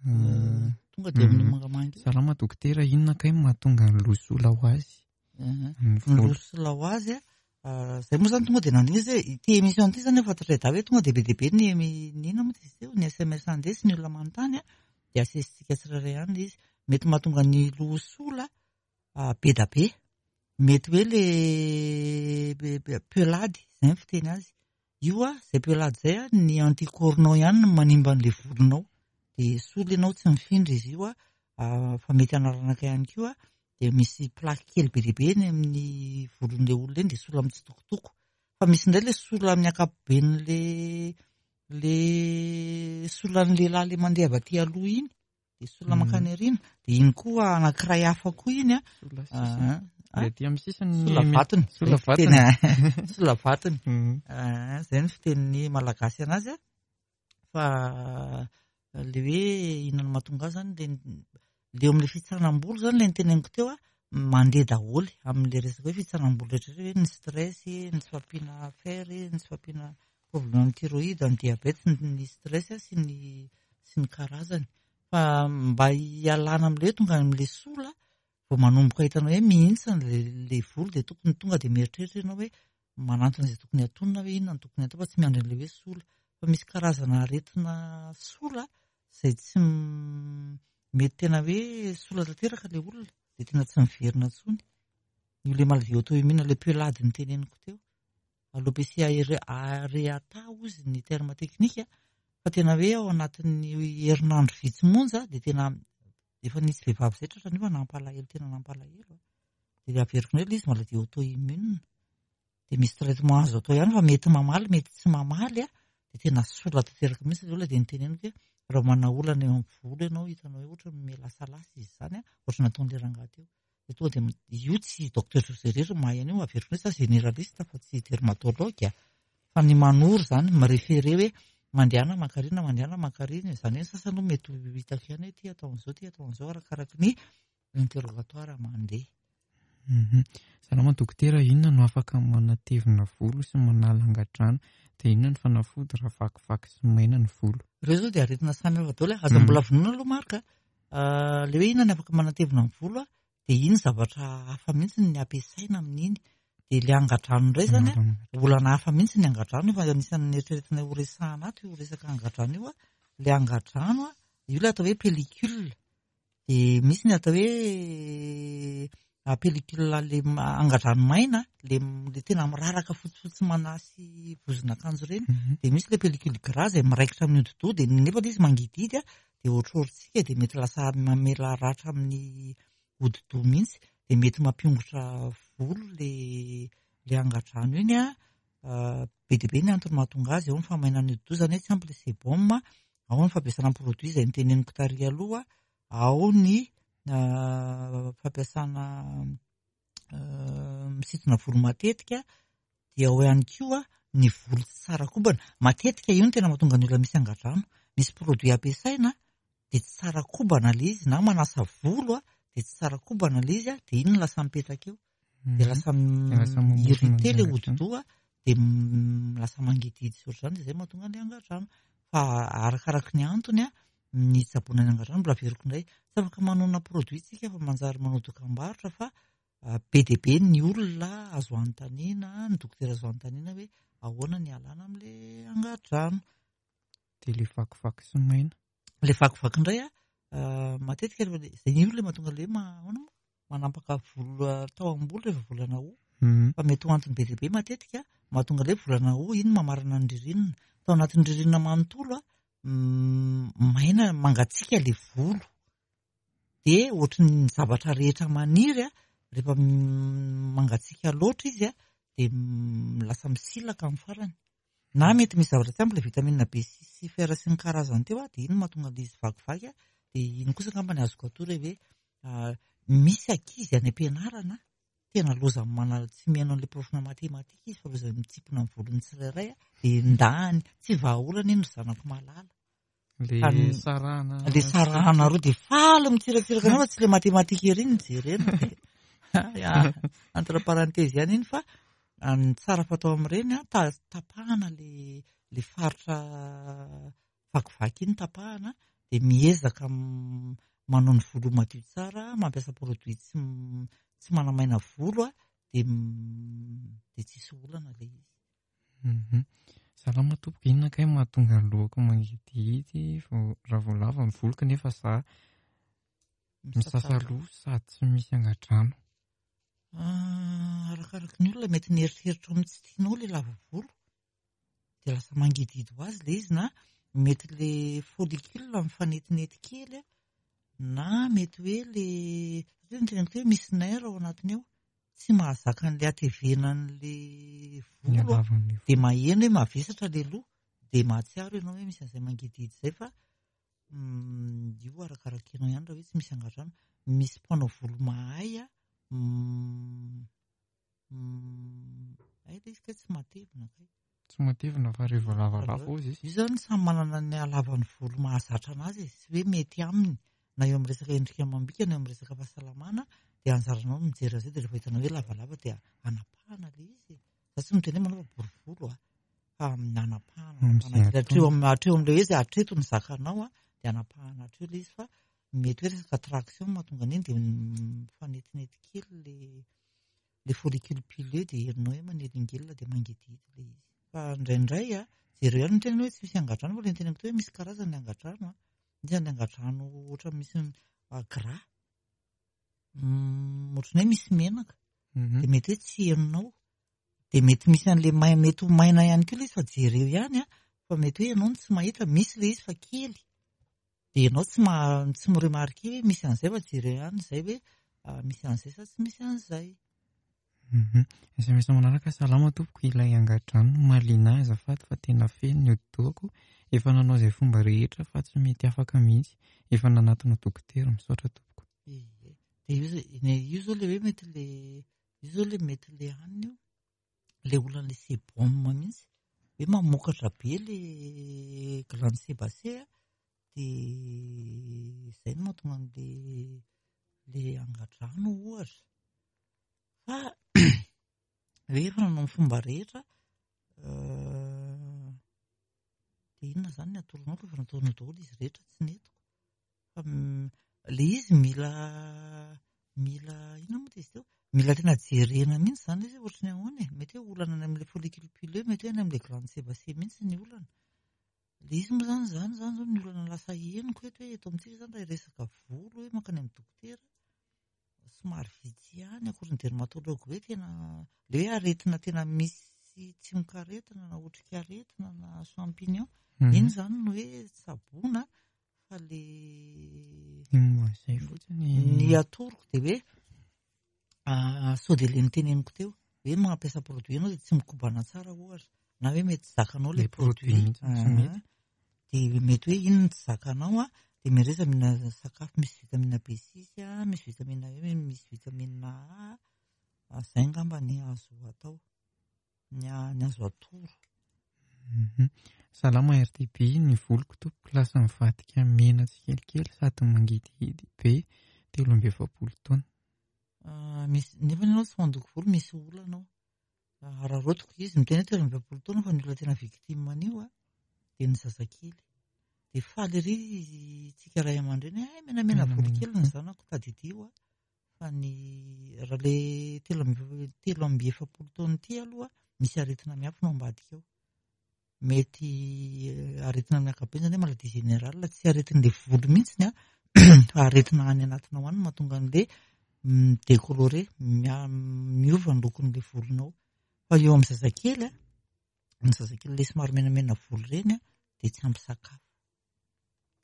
Euh, Tonga dia amin'ny Mhm. mangamanga io. Salama dokotera, inona kay mahatonga ny loha sola ho azy? Ah. Ny Ny volo. loha sola ho azy a, ah, zay moa zany tonga dia nandinika izy hoe ity émission ity zany efa fantatra da hoe tonga dia be dia be ny emi- ny inona moa izy teo, ny S M S andeha sy ny olona manontany a, dia asesitsika tsirairay ihany ilay izy. Mety mahatonga ny loha sola, ah, be da be. Mety hoe le be, be, pelady, zay ny fiteny azy. Io a, zay pelady zay a, ny anticorps-nao ihany no manimba an'ilay volonao. Dia sola ianao tsy mifindra izy io a, ah, fa mety hanaranaka ihany koa a. Dia misy plaque kely be dia be eny amin'ny volon'ilay olona eny, dia sola mitsitokotoko. Fa misy indray ilay sola amin'ny ankapoben'ilay, le solan'ny lehilahy le mandeha avy aty aloha iny, dia sola Mhm. mankany aoriana. Dia iny koa anankiray hafa koa iny a. Sola sisiny. Ah, ah. Le aty amin'ny sisiny Sola ny vatony. Sola Zay fiteny, vatony. ah. Sola vatony. Mhm. Ah, zay ny fitenin'ny malagasy anazy a. Fa le hoe inona no mahatonga azy zany, le le eo amin'ilay fitsanam-bolo zany le niteneniko teo a, mandeha daholo amin'ilay resaka hoe fitsanam-bolo rehetra rehetra, hoe ny stress, ny tsy fahampiana fer, ny tsy fahampiana problème amin'ny thyroïde, ny diabète, ny, ny stress sy ny, sy ny karazany. Fa mba hialana amin'ilay hoe tonga amin'ilay sola, vao manomboka hitanao hoe mihintsana le, le volo, dia tokony tonga dia mieritreritra ianao hoe manantona izay tokony hatonina hoe inona no tokony atao, fa tsy miandry an'ilay hoe sola. Fa misy karazana aretina sola izay tsy m-, mety tena hoe sola tanteraka ilay olona, dia tena tsy miverina intsony. Io le maladie auto-immune, le pelade niteneniko teo. Alopecia areata hozy ny terme technique, fa tena hoe ao anatin'ny herinandro vitsy monja dia tena efa nisy vehivavy izay tratra nefa nampalahelo, tena nampalahelo. Dia averiko indray ilay izy maladie auto-immune. Dia misy traitement azo atao ihany fa mety mamaly, mety tsy mamaly a, dia tena sola tanteraka mihitsy ilay olona. Dia niteneniko hoe raha manana olana eo amin'ny volo ianao, hitanao hoe ohatra milasalasa izy izany a, ohatra nataon'ilay rangahy teo. Dia tonga dia m-, io tsy docteur José irery no mahay an'io, averiko hoe za généraliste fa tsy dermatologue a. Fa ny manoro izany, miréféré hoe mandehana mankarina, mandehana mankarina, izany hoe ny sasany aloha mety ho hitako ihany hoe ty atao an'izao, ty atao an'izao, arakaraky ny interrogatoire mandeha. Mhm. Salama dokotera, inona no afaka manatevina volo sy manala angadrano? Dia inona ny fanafody raha vakivaky sy maina ny volo? Ireo izao dia aretina samy hafa daholo. Aza Mm. mbola vonona aloha Marc a. Ah, le hoe inona ny afaka manatevina ny volo a, dia iny zavatra hafa mihitsy ny ampiasaina amin'iny. Dia le angadrano indray zany a, Manala angadrano. olana hafa mihitsy ny angadrano, efa anisan'ny eritreretina ho resahana ato io resaka angadrano io a. Le angadrano a, io le atao hoe pellicule. Dia misy ny atao hoe a, pellicule le ma-, angadrano maina, le m-, le tena miraraka fotsifotsy manasy vozon'akanjo ireny. Mhm. Dia misy le pellicule gras izay miraikitra amin'ny hodi-doha, dia nefa ilay izy mangidihidy a, dia ohatrohatritsika, dia mety lasa mamela ratra amin'ny hodi-doha mihitsy, dia mety mampiongotra volo le, le angadrano iny a. Ah, be dia be ny antony mahatonga azy, ao ny fahamainan'ny hodi-doha, izany hoe tsy ampy le sébum, ao ny fampiasana produit izay niteneniko tary aloha, ao ny, ah, fampiasana, ah, misintona volo matetika, dia ao ihany koa ny volo tsy tsara kobana. Matetika io no tena mahatonga ny olona misy angadrano. Misy produit ampiasaina dia tsy tsara kobana ilay izy, na manasa volo a, dia tsy tsara kobana ilay izy a, dia iny no lasa mipetraka eo. Dia Mhm. lasa Dia lasa mamorona irrité ny ilay angadrano. hodi-doha, dia m-, lasa mangidihidy sy ohatr'izany, dia izay mahatonga ny angadrano. Fa arakaraky ny antony a, ny tsaboina ny angadrano mbola averiko indray. Tsy afaka manona produit tsika fa manjary manao dokam-barotra, fa, ah, be dia be ny olona azo anontaniana, ny dokotera azo anontaniana hoe ahoana ny alana amin'ilay angadrano. Dia le vakivaky sy maina. Le vakivaky indray a, ah, matetika rehefa le, izay ny olona mahatonga le ma-, ahoana moa? Manampaka volo, ah, tao am-bolo rehefa volana ho. Mhm. Fa mety ho antony be dia be matetika mahatonga le volana ho iny mamarana ny ririnina. Tao anatin'ny ririnina manontolo a, mm, maina mangatsiaka le volo. Dia ohatry ny zavatra rehetra maniry a, rehefa m-, mangatsiaka loatra izy a, dia m-, lasa misilaka amin'ny farany. Na mety misy zavatra tsy ampy ilay vitamine B six sy fer sy ny karazany teo a, dia iny mahatonga an'ilay izy vakivaky a, dia iny kosa angamba ny azoko atoro hoe misy ankizy any am-pianarana tena loza mana tsy mihaino an'ilay profina matematika izy fa loza mitsipona ny volony tsirairay a, dia ndany tsy vahaolana iny ry zanako malala. Le sarahana le sarahana roa dia faly mitsiratsiraka anao fa tsy le matematika ery no jerena. Entre parenthèse ihany iny fa ny tsara fatao amin'ireny a, tapahana le le faritra vakivaky iny tapahana, dia miezaka manao ny volo madio tsara, mampiasa produit tsy tsy manamaina volo a, dia dia tsisy olana le izy. Salama tompoko, inona kay mahatonga ny lohako mangidihidy raha vao lava ny volo kanefa za misasa loha sady tsy misy angadrano? Arakaraky ny olona, mety nieritreritra ao amin'ny tsy tianao le lava volo dia lasa mangidihidy ho azy le izy, na mety le follicule mifanetinety kely a, na mety hoe le satria ny teneniko hoe misy nerf ao anatiny ao tsy mahazaka an'le hatevenan'le volo dia maheno hoe mavesatra le loha dia mahatsiaro ianao hoe misy an'izay mangidihidy izay, fa io arakaraka ianao ihany raha hoe tsy misy angadrano. Misy mpanao volo mahay a, hay ilay izy kay tsy matevina kay. Tsy matevina fa rehefa lavalava ozy izy. Io zany samy manana ny halavan'ny volo mahazatra anazy, sy hoe mety aminy na eo amin'ny resaka endrika amam-bika na eo amin'ny resaka fahasalamana, dia anjaranao no mijery azy io, dia rehefa hitanao hoe lavalava dia anapahana ilay izy. Za tsy miteny hoe manao bory volo a, fa anapahana, hatreo amin'ny hatreo amin'ilay hoe izay hatreto ny zakanao a, dia anapahana hatreo ilay izy, fa mety hoe resaka traction mahatonga an'iny dia mifanetinety kely le le follicule pileux dia herinao hoe manelingelina dia mangidihidy ilay izy. Fa indraindray a, jereo ihany ny tenany hoe tsy misy angadrano, fa ilay niteneniko teo hoe misy karazany ny angadrano a. Misy ny angadrano ohatra misy gras, ohatran'ny hoe misy menaka, dia mety hoe tsy henonao, dia mety misy an'ilay mai-, mety ho maina ihany koa ilay izy, fa jereo ihany a, fa mety hoe ianao no tsy mahita, misy ilay izy fa kely, dia ianao tsy ma-, tsy mi-remarquer hoe misy an'izay, fa jereo ihany izay hoe misy an'izay sa tsy misy an'izay. S M S manaraka, salama tompoko, ilay angadrano mahaliana ahy azafady fa tena feno ny hodi-dohako, efa nanao izay fomba rehetra fa tsy mety afaka mihitsy, efa nanatona dokotera, misaotra tompoko. Ie, dia io zao, ne, io zao le hoe mety le, io zao le mety le hanina io, le olana le sébum mihitsy, hoe mamokatra be le glande sébacée a, dia izay no mahatonga an'le le angadrano ohatra. Fa hoe efa nanao ny fomba rehetra, dia inona izany ny atoronao fa efa nataonao daholo izy rehetra tsy nentiko. Fa le izy mila, mila inona moa izy teo? Mila tena jerena mihitsy izany izy ohatry ny ahoana e? Mety hoe olana any amin'ilay follicule pileux, mety hoe any amin'ilay glande sébacée mihitsy ny olana. Le izy moa izany, izany izany zao ny olana lasa henoko eto hoe eto amintsika izany raha hiresaka volo hoe mankany amin'ny dokotera, somary vitsy ihany akory ny dermatologue hoe tena le hoe aretina tena misy tsimokaretina na otrikaretina na champignon, iny izany no hoe tsaboina, fa le izay fotsiny ny atoroko dia hoe sao dia le niteneniko teo hoe mampiasa produit ianao dia tsy mikobana tsara ohatra, na hoe mety tsy zakanao le produit mihitsy, dia mety hoe iny no tsy zakanao a, dia miareza mihinana sakafo misy vitamine B six a, misy vitamine E, misy vitamine A, izay angamba ny azo atao, ny ny azo atoro. Salama R T B, ny voloko tompoko lasa mivadika mena tsikelikely sady mangidihidy be, telo amby efapolo taona. Misy, nefa ianao tsy mandoko volo, misy olana ao. Araraotiko izy, miteny hoe telo amby efapolo taona fa ny olona tena victime an'io a, dia ny zazakely. Dia faly ery tsika ray aman-dreny, ay menamena volo kely ny zanako, tadidio a. Fa ny raha le telo amby, telo amby efapolo taona ity aloha, misy aretina miafina ao ambadika ao. Mety aretina amin'ny ankapobeny izany hoe maladie générale, tsy aretin'ilay volo mihitsy a, fa aretina any anatinao any no mahatonga an'ilay mi-décoloré, miova ny lokon'ilay volonao. Fa eo amin'ny zazakely a, ny zazakely ilay somary menamena volo ireny a, dia tsy ampy sakafo.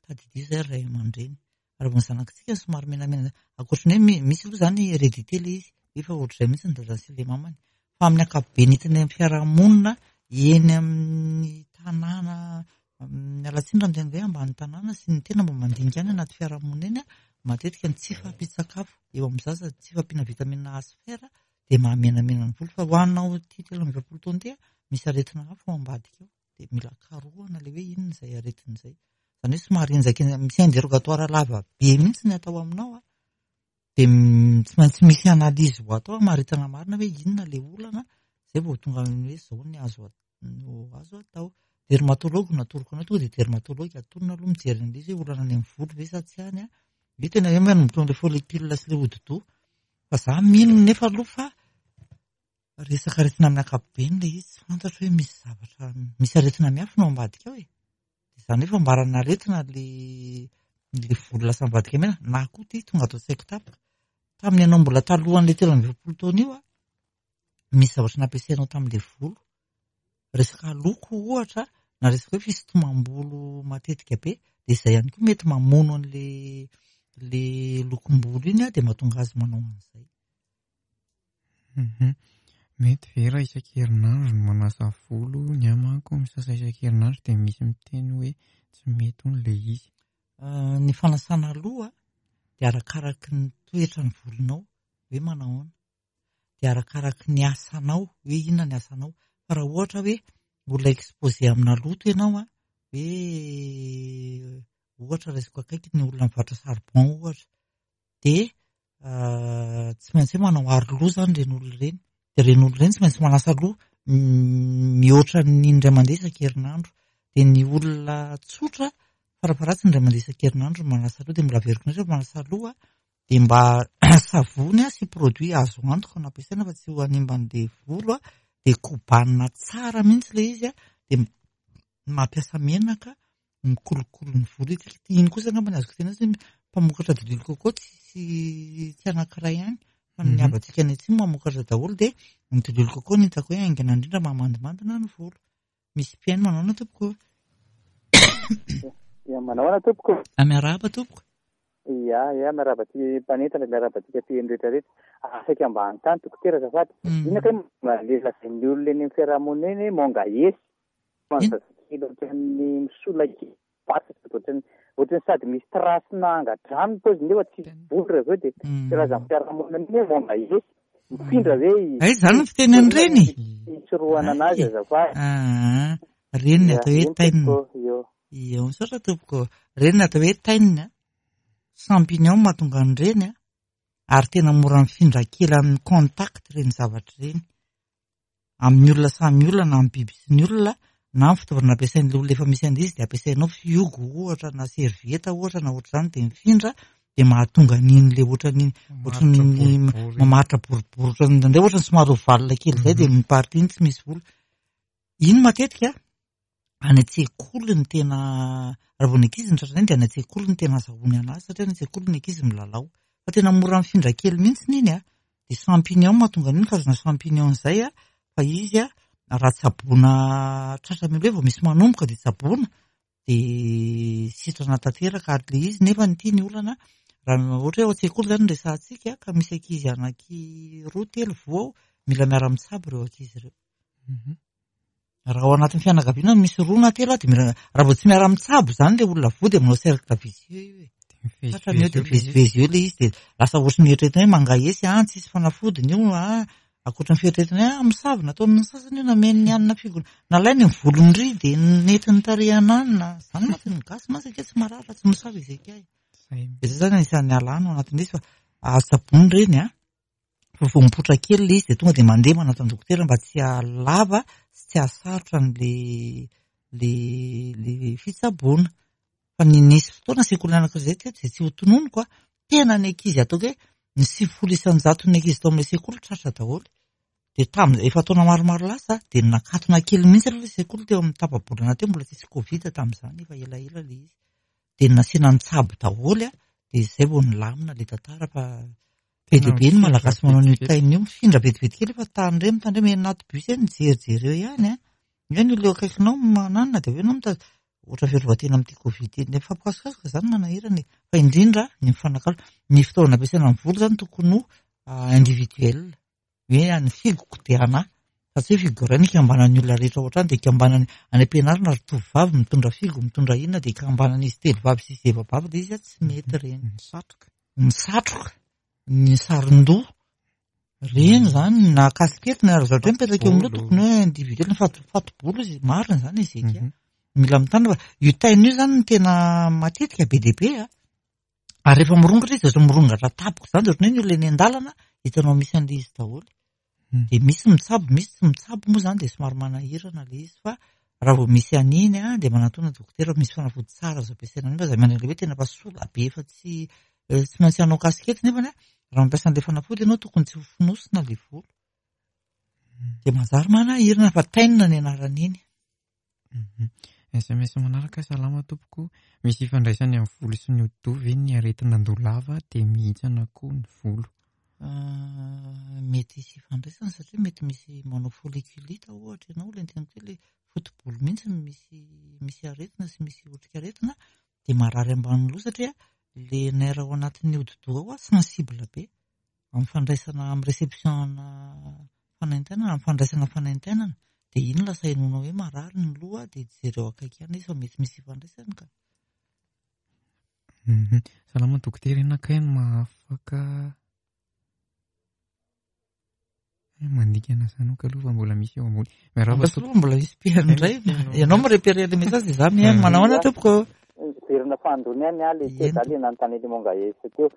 Tadidio izay ray aman-dreny. Raha vao ny zanakitsika somary menamena, ankoatry ny hoe misy aloha izany hérédité ilay izy, efa ohatr'izay mihitsy ny dadany sy ilay mamany. Fa amin'ny ankapobeny hitany amin'ny fiarahamonina, Eny amin'ny tanàna, miala tsiny raha miteny hoe ambany tanàna sy ny tena mba mandinika any anaty fiarahamonina eny, matetika ny tsy fahampian-tsakafo eo amin'ny zaza, tsy fahampiana vitamine A sy fer dia mahamenamena ny volo. Fa ho anao ity telo amby efapolo taona ity, misy aretina hafa ao ambadika ao, dia mila karohana ilay hoe inona izay aretina izay. Izany hoe somary enjaka, misy interrogatoire lava be mihitsy ny atao aminao, dia tsy maintsy misy analyse ho atao hamaritana marina hoe inona ilay olana, izay vao tonga amin'ny hoe izao ny azo no azo atao. Dermatologue no atoroko anao, tonga dia dermatologue atonona aloha mijery an'ilay izy hoe olana any amin'ny volo ve sa tsy any. Io tena hoe manomboka amin'ilay follicule sy ilay hodi-doha. Fa za mino nefa aloha fa resaka aretina amin'ny ankapobeny ilay izy, tsy fantatro hoe misy zavatra, misy aretina miafina ao ambadika ao e. Izany hoe fambarana aretina ilay ilay volo lasa mivadika mena, na koa ity tonga ato an-tsaiko tampoka. Tamin'ny ianao mbola talohan'ilay telo amby efapolo taona io, misy zavatra nampiasainao tamin'ilay volo. Resaka loko ohatra, na resaka hoe fisintomam-bolo matetika be, dia izay ihany koa mety mamono an'ilay ilay lokom-bolo iny, dia mahatonga azy manao an'izay. Mety ve raha isan-kerinandro no manasa volo? Ny ahy manko misasa isan-kerinandro dia misy miteny hoe tsy mety hono ilay izy. Ny fanasana loha dia arakaraky ny toetran'ny volonao hoe manao ahoana, dia arakaraky ny asanao hoe inona ny asanao. Fa raha ohatra hoe olona exposé amina loto ianao, hoe ohatra raisiko akaiky ny olona mivarotra charbon ohatra, dia tsy maintsy hoe manao aro loha izany ireny olona ireny. Dia ireny olona ireny tsy maintsy manasa loha mihoatra ny indray mandeha isan-kerinandro. Dia ny olona tsotra farafaharatsiny indray mandeha isan-kerinandro manasa loha, dia mbola averiko indray rehefa manasa loha dia mba savony sy produit azo antoka no ampiasaina fa tsy ho hanimba an'ilay volo, dia kobanina tsara mihitsy ilay izy, dia mampiasa menaka mikolokolo ny volo. Iny kosa angamba ny azoko tena hoe mpamokatra diloilo coco tsy tsy anankiray ihany fa ny havantsika any atsimo mamokatra daholo, dia ny diloilo coco no hitako hoe haingana indrindra mahamandimandina ny volo. Misy mpihaino manao ahoana tompoko? Ya, manao ahoana tompoko? Miarahaba tompoko. Ya, ya, miarahaba ty mpanentana, miarahaba antsika mpihaino rehetrarehetra. Saika mba hanontany dokotera azafady. Inona kay le lazain'ny olona eny amin'ny fiarahamonina eny hoe mangaesy? Zazakely ohatran'ny misolaky bataka, ohatran'ny ohatran'ny sady misy trasina angadrano paoziny nefa tsy volo raha avy eo, dia filazan'ny fiarahamonina iny hoe mangaesy. Mifindra ve izy? Ay, izany no fiteny an'ireny? Fisorohana anazy azafady. Ah, ireny ny atao hoe tainina. Io, misaotra tompoko. Ireny ny atao hoe tainina. Champignon mahatonga an'ireny, ary tena mora mifindra kely amin'ny contact ireny zavatra ireny. Amin'ny olona samy olona, na amin'ny biby sy ny olona, na amin'ny fitaovana ampiasain'ilay olona efa misy an'izy, dia ampiasainao fihogo ohatra, na servieta ohatra, na ohatr'izany, dia mifindra, dia mahatonga an'iny ilay ohatran'iny, ohatran'ny mamaritra boribory, ohatran'ny indraindray ohatran'ny somary ovalina kely izay, dia miparty iny tsy misy volo. Iny matetika any an-tsekoly ny tena, raha vao ny ankizy ny tratrany dia any an-tsekoly ny tena azahoany anazy, satria any an-tsekoly ny ankizy milalao. Fa tena mora mifindra kely mihitsy iny, dia champignon mahatonga an'iny, karazana champignon izay, fa izy raha tsaboina tratra mihitsy hoe vao misy manomboka dia tsaboina, dia sitrana tanteraka. Ary ilay izy nefa ity ny olana, raha ohatra hoe ao an-tsekoly izany no resahantsika, ka misy ankizy anaky roa telo voa ao, mila miara-mitsabo ireo ankizy ireo. Raha ao anatin'ny fianakaviana misy roa na telo, dia mila, raha vao tsy miara-mitsabo izany ilay olona voa dia manao cercle vicieux io e. Tratra eo dia mivezivezy eo ilay izy, dia lasa ohatry ny eritreretina hoe mangaesy, ah, tsisy fanafodiny io, ah, ankoatra ny fieritreretina hoe ah, misavy nataon'ny sasany io, nameno ny hanina figona, nalainy ny volon-dry dia nentiny tarehina any, na izany mantsy ny gasy mantsy anke tsy marary raha tsy misavy izy akay. Dia izay izany anisan'ny alàna ao anatin'izy, fa azo tsaboina ireny, ah. Fa vao mipoitra kely ilay izy dia tonga dia mandeha manatona dokotera mba tsy hahalava sy tsy hahasarotra an'ilay ilay ilay fitsaboana. Fa ny nisy fotoana sekoly anankiray izay teto izay tsy ho tononiko, tena ny ankizy ataoko hoe ny sivifolo isan-jaton'ny ankizy tao amin'ilay sekoly tratra daholo. Dia tamin'ny efa taona maromaro lasa dia nakatona kely mihitsy aloha ilay sekoly teo amin'ny tapa-bolana teo, mbola tsisy Covid tamin'izany, efa elaela ilay izy. Dia nasiana nitsabo daholo, dia izay vao nilamina ilay tantara. Fa be dia be ny Malagasy manao an'io tainina io, mifindra vetivety kely fa tandremo, tandremo eny anaty bus eny, mijerijery eo ihany. Eo ny olona eo akaikinao mananona, dia avy eo ianao mitady ohatra fiarovan-tena amin'ity Covid ity. Ny fampikasokasoka izany manahirana e. Fa indrindra ny mifanakalo. Ny fitaovana ampiasaina amin'ny volo izany tokony ho individuel. Hoe ny figoko dia anahy. Fa tsy hoe figo iray no ikambanan'ny olona rehetra ao an-trano dia ikambanany any am-pianarana ry tovovavy mitondra figo, mitondra inona dia ikambanan'izy telo vavy sy izy efa-bavy ilay izy tsy mety ireny. Ny satroka. Ny satroka, ny saron-doha, ireny izany na kasikety na zavatra hoe mipetraka eo amin'ny loha tokony hoe individuel, ny fato- fato-bolo izy marina izany izy eka. Mila mitandrina fa io taina io izany no tena matetika be dia be a. Ary rehefa mirongatra izy dia mirongatra tampoka izany dia ohatran'ny hoe ny olona eny an-dalana hitanao misy an'ilay izy daholo. Dia misy mitsabo, misy tsy mitsabo moa izany dia somary manahirana ilay izy fa raha vao misy an'iny a dia manatona dokotera misy fanafody tsara azo ampiasaina an'iny fa izay manana hoe tena efa sola be efa tsy tsy maintsy hanao kasikety nefa raha mampiasa an'ilay fanafody ianao tokony tsy ho fonosina ilay volo. Dia manjary manahirana fa tainina ny anaran'iny. S M S manaraka, salama tompoko, misy ifandraisany amin'ny volo sy ny hodi-doha ve ny aretina andoha lava dia mihintsana koa ny volo? Mety hisy ifandraisany satria mety misy manao folliculite ohatra ianao, ilay niteneniko hoe ilay foto-bolo mihitsy no misy, misy aretina sy misy otrikaretina dia marary ambany loha satria ilay nerf ao anatin'ny hodi-doha ao sensible be amin'ny fandraisana, amin'ny réception fanaintainana, amin'ny fandraisana fanaintainana dia iny lasa henoinao hoe marary ny loha dia jereo akaiky ihany izy fa mety misy ifandraisany ka. Salama dokotera, inona kay no mahafaka mandikana izany aloha fa mbola misy eo ambony. Miarahaba tompoko. Mbola misy mpihaino indray. Ianao mi-repérer le message dia izaho mihaino. Manao ahoana tompoko? Miverina fahandroany ihany aho ilay teo, izaho ilay nanontany an'ilay Mongaesy teo.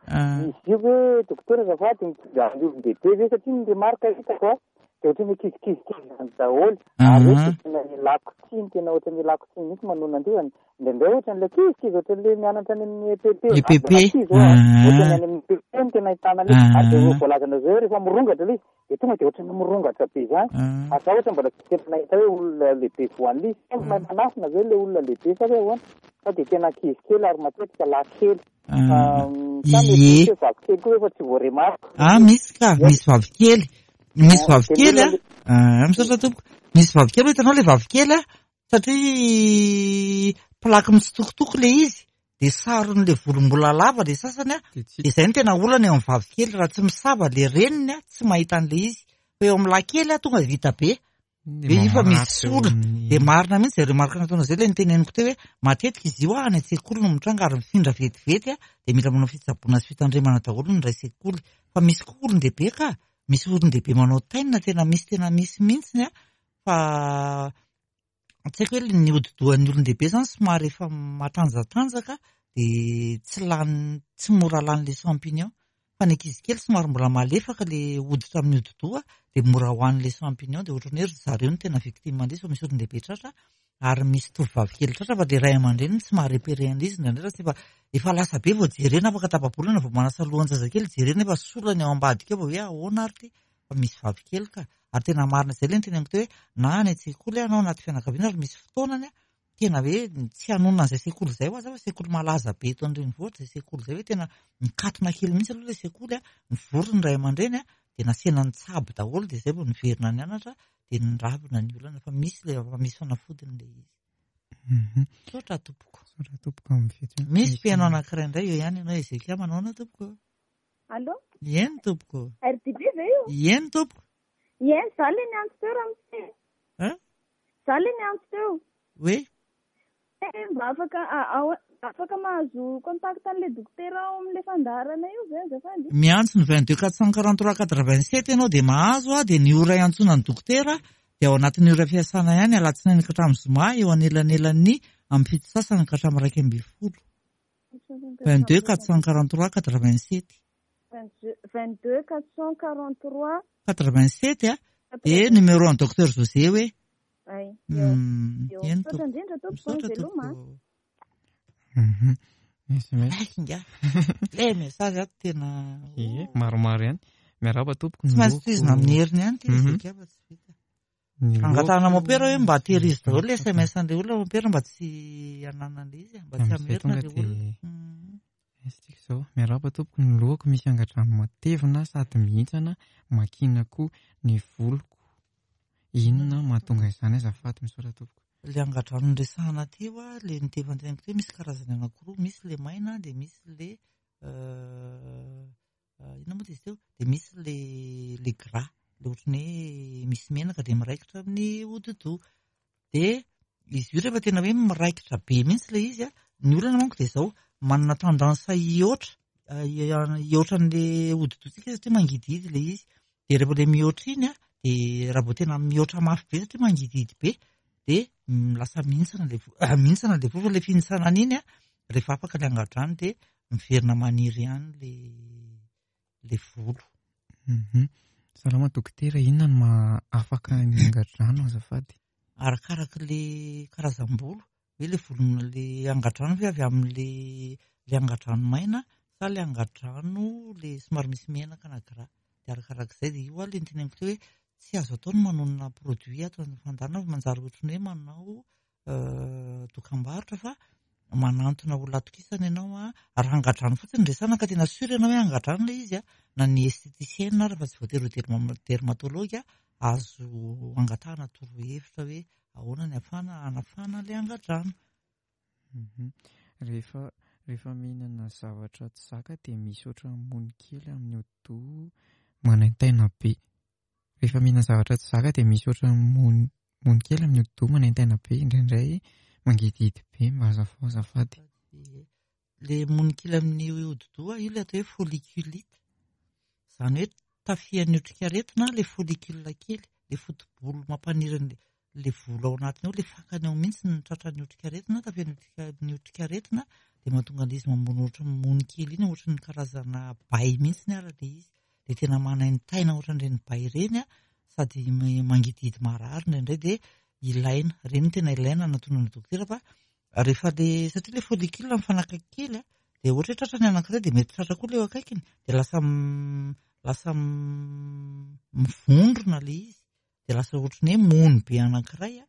Izy io hoe dokotera azafady mitondra ny olon-dehibe ve satria ny remarque hitako a dia ohatran'ny ankizikizy kely izany daholo. Ary hoe dia tena ilako tsiny, tena ohatran'ny ilako tsiny mihitsy manonona an'ity zany. Indraindray ohatran'ilay ankizikizy ohatran'ilay mianatra any amin'ny E P P. E P P. Ohatran'ny any amin'ny E P P no tena ahitana ilay izy. Ary dia voalazana zao hoe rehefa mirongatra ilay izy dia tonga dia ohatran'ny mirongatra be izany. Ary za ohatra mbola tsy tena nahita hoe olona lehibe voan'ilay izy. Fa mahay manafina ve ilay olona lehibe sa hoe ahoana? Fa dia tena ankizy kely ary matetika lahy kely. Sa mety hoe vavy kely koa efa tsy voaremarika. Ah, misy ka, misy vavy kely. Misy vavy kely a. Ah, misaotra tompoko. Misy vavy kely, hitanao ilay vavy kely a, satria plaque mitsitokotoko ilay izy, dia saron'ilay volombola lava ilay sasany a. Dia izay no tena olana eo amin'ny vavy kely, raha tsy misava ilay reniny a, tsy mahita an'ilay izy. Fa eo amin'ny lahy kely a, tonga vita be. Dia io fa misy sola. Dia marina mihitsy izay remarque nataonao izay, ilay niteneniko teo hoe matetika izy io a, any an-tsekoly no mitranga ary mifindra vetivety a, dia mila manao fitsaboana sy fitandremana daholo ny iray sekoly. Fa misy koa olon-dehibe ka, misy olon-dehibe manao tainina, tena misy tena misy mihitsy a, fa tsy haiko hoe ny hodi-dohan'ny olon-dehibe izany somary efa matanjatanjaka dia tsy lany, tsy mora lany ilay champignon. Fa ny ankizy kely somary mbola malefaka ilay hoditra amin'ny hodi-doha dia mora hohanin'ilay champignon, dia ohatran'ny hoe ry zareo no tena victime an'ilay izy fa misy olon-dehibe tratra ary misy tovovavy kely tratra fa ilay ray aman-dreniny tsy maha-repérer an'ilay izy indraindray raha tsy efa, efa lasa be vao jerena, afaka tapa-bolana vao manasa lohan-jazakely jerena efa solany ao ambadika ao vao hoe ahoana ary ity, fa misy vavy kely ka. Ary tena marina izay ilay niteneniko teo hoe na any an-tsekoly na ao anaty fianakaviana ary misy fotoanany tena hoe tsy hanonona an'izay sekoly izay ho aza fa sekoly malaza be eto an-drenivohitra izay sekoly izay hoe tena mikatona kely mihitsy aloha ilay sekoly a, mivory ny ray aman-dreny a, dia nasiana nitsabo daholo dia izay vao niverina nianatra dia niravina ny olana fa misy ilay, fa misy fanafodiny ilay izy. Misaotra tompoko. Misaotra tompoko amin'ny fihetsehana. Misy mpihaino anankiray indray eo ihany ianao Ezekia, manao ahoana tompoko? Allô? Eny tompoko. R D B ve io? Eny tompoko. Eny, za le niantso teo ramose. Hein? Za le niantso teo. Oui. Eh, mba afaka, afaka mahazo contact an'ilay dokotera ao amin'ilay fandaharana io ve azafady? Miantso ny vingt-deux quatre cent quarante-trois quatre-vingt-sept ianao dia mahazo a, dia ny ora iantsoana ny dokotera dia ao anatin'ny ora fiasana ihany alatsinainy ka hatramin'ny zoma eo anelanelan'ny amin'ny fito sasany ka hatramin'ny iraika ambin'ny folo. vingt-deux quatre cent quarante-trois quatre-vingt-sept. vingt-deux quatre cent quarante-trois quatre-vingt-sept a, dia numéro an'ny docteur José hoe. Ay. Eny Misaotra indrindra tompoko, veloma. Inga. Ilay message ato tena Ie, maromaro ihany. Miarahaba tompoko. Tsy maintsy tohizina amin'ny heriny ihany ity Ezekia fa tsy vita. Angatahana mompera hoe mba tehirizo daholo ilay S M S an'ilay olona mompera mba tsy hananan'ilay izy, mba tsy hamerina ilay olona. Isika izao, miarahaba tompoko, ny lohako misy angadrano matevina sady mihintsana, makina koa ny voloko. Inona mahatonga izany azafady, misaotra tompoko. Ilay angadrano noresahana teo a, ilay nitevanteniko teo misy karazany anankiroa, misy ilay maina dia misy ilay inona moa izy teo? Dia misy ilay ilay gras, Le ohatran'ny hoe misy menaka dia miraikitra amin'ny hodi-doha. Dia izy io rehefa tena hoe miraikitra be mihitsy ilay izy, ny olana manko dia izao, manana tendance hihoatra, hihoatra an'ilay hodi-dohantsika satria mangidihidy ilay izy. Dia rehefa ilay mihoatra iny, dia raha vao tena mihoatra mafy be satria mangidihidy be, dia lasa mihintsana ilay vo-, mihintsana ilay volo, fa ilay fihintsanana iny, rehefa afaka ilay angadrano dia miverina maniry ihany ilay, ilay volo. Mhm. Salama dokotera, inona no maha afaka ny angadrano azafady? Arakaraka ilay karazam-bolo, hoe ilay volona, ilay angadrano ve avy amin'ilay, ilay angadrano maina sa ilay angadrano ilay somary misy menaka na gras. Dia arakarak'izay dia io ilay noteneniko teo hoe tsy azo atao ny manonona produit ato amin'ny fandaharana fa manjary ohatran'ny hoe manao, euh, dokam-barotra fa manantona olona atokisana ianao a. Raha angadrano fotsiny no resahana ka tena sûr ianao hoe angadrano ilay izy a, na ny esthéticienne ary fa tsy voatery ho derma-, dermatologue a, azo angatahana torohevitra hoe ahoana ny ahafahana hanafana ilay angadrano. Mhm. Rehefa, rehefa mihinana zavatra tsy zaka dia misy ohatran'ny mony kely amin'ny hodi-doha manaintaina be. Rehefa mihinana zavatra tsy zaka dia misy ohatran'ny mony, mony kely amin'ny hodi-doha manaintaina be, indraindray mangidihidy be, mba azafao azafady. Le mony kely amin'ny hodi-doha io ilay atao hoe folliculite. Izany hoe tafihan'ny otrikaretina ilay follicule kely, ilay foto-bolo mampaniry ny, ilay volo ao anatiny ao, ilay fakany ao mihitsy ny tratran'ny otrikaretina, tafihan'ny otrika-, ny otrikaretina, dia mahatonga an'izy mamono ohatran'ny mony kely iny, ohatran'ny karazana bay mihitsy ny ara ilay izy. Dia tena manaintaina ohatran'ireny bay ireny a, sady ma-, mangidihidy marary indraindray dia ilaina, ireny no tena ilaina anatonana dokotera fa rehefa le, satria ilay follicule mifanakaiky kely a, dia ohatra hoe tratra ny anankiray dia mety tratra koa ilay eo akaikiny, dia lasa m-, lasa m-, mivondrona ilay izy, dia lasa ohatran'ny hoe mony be anankiray a,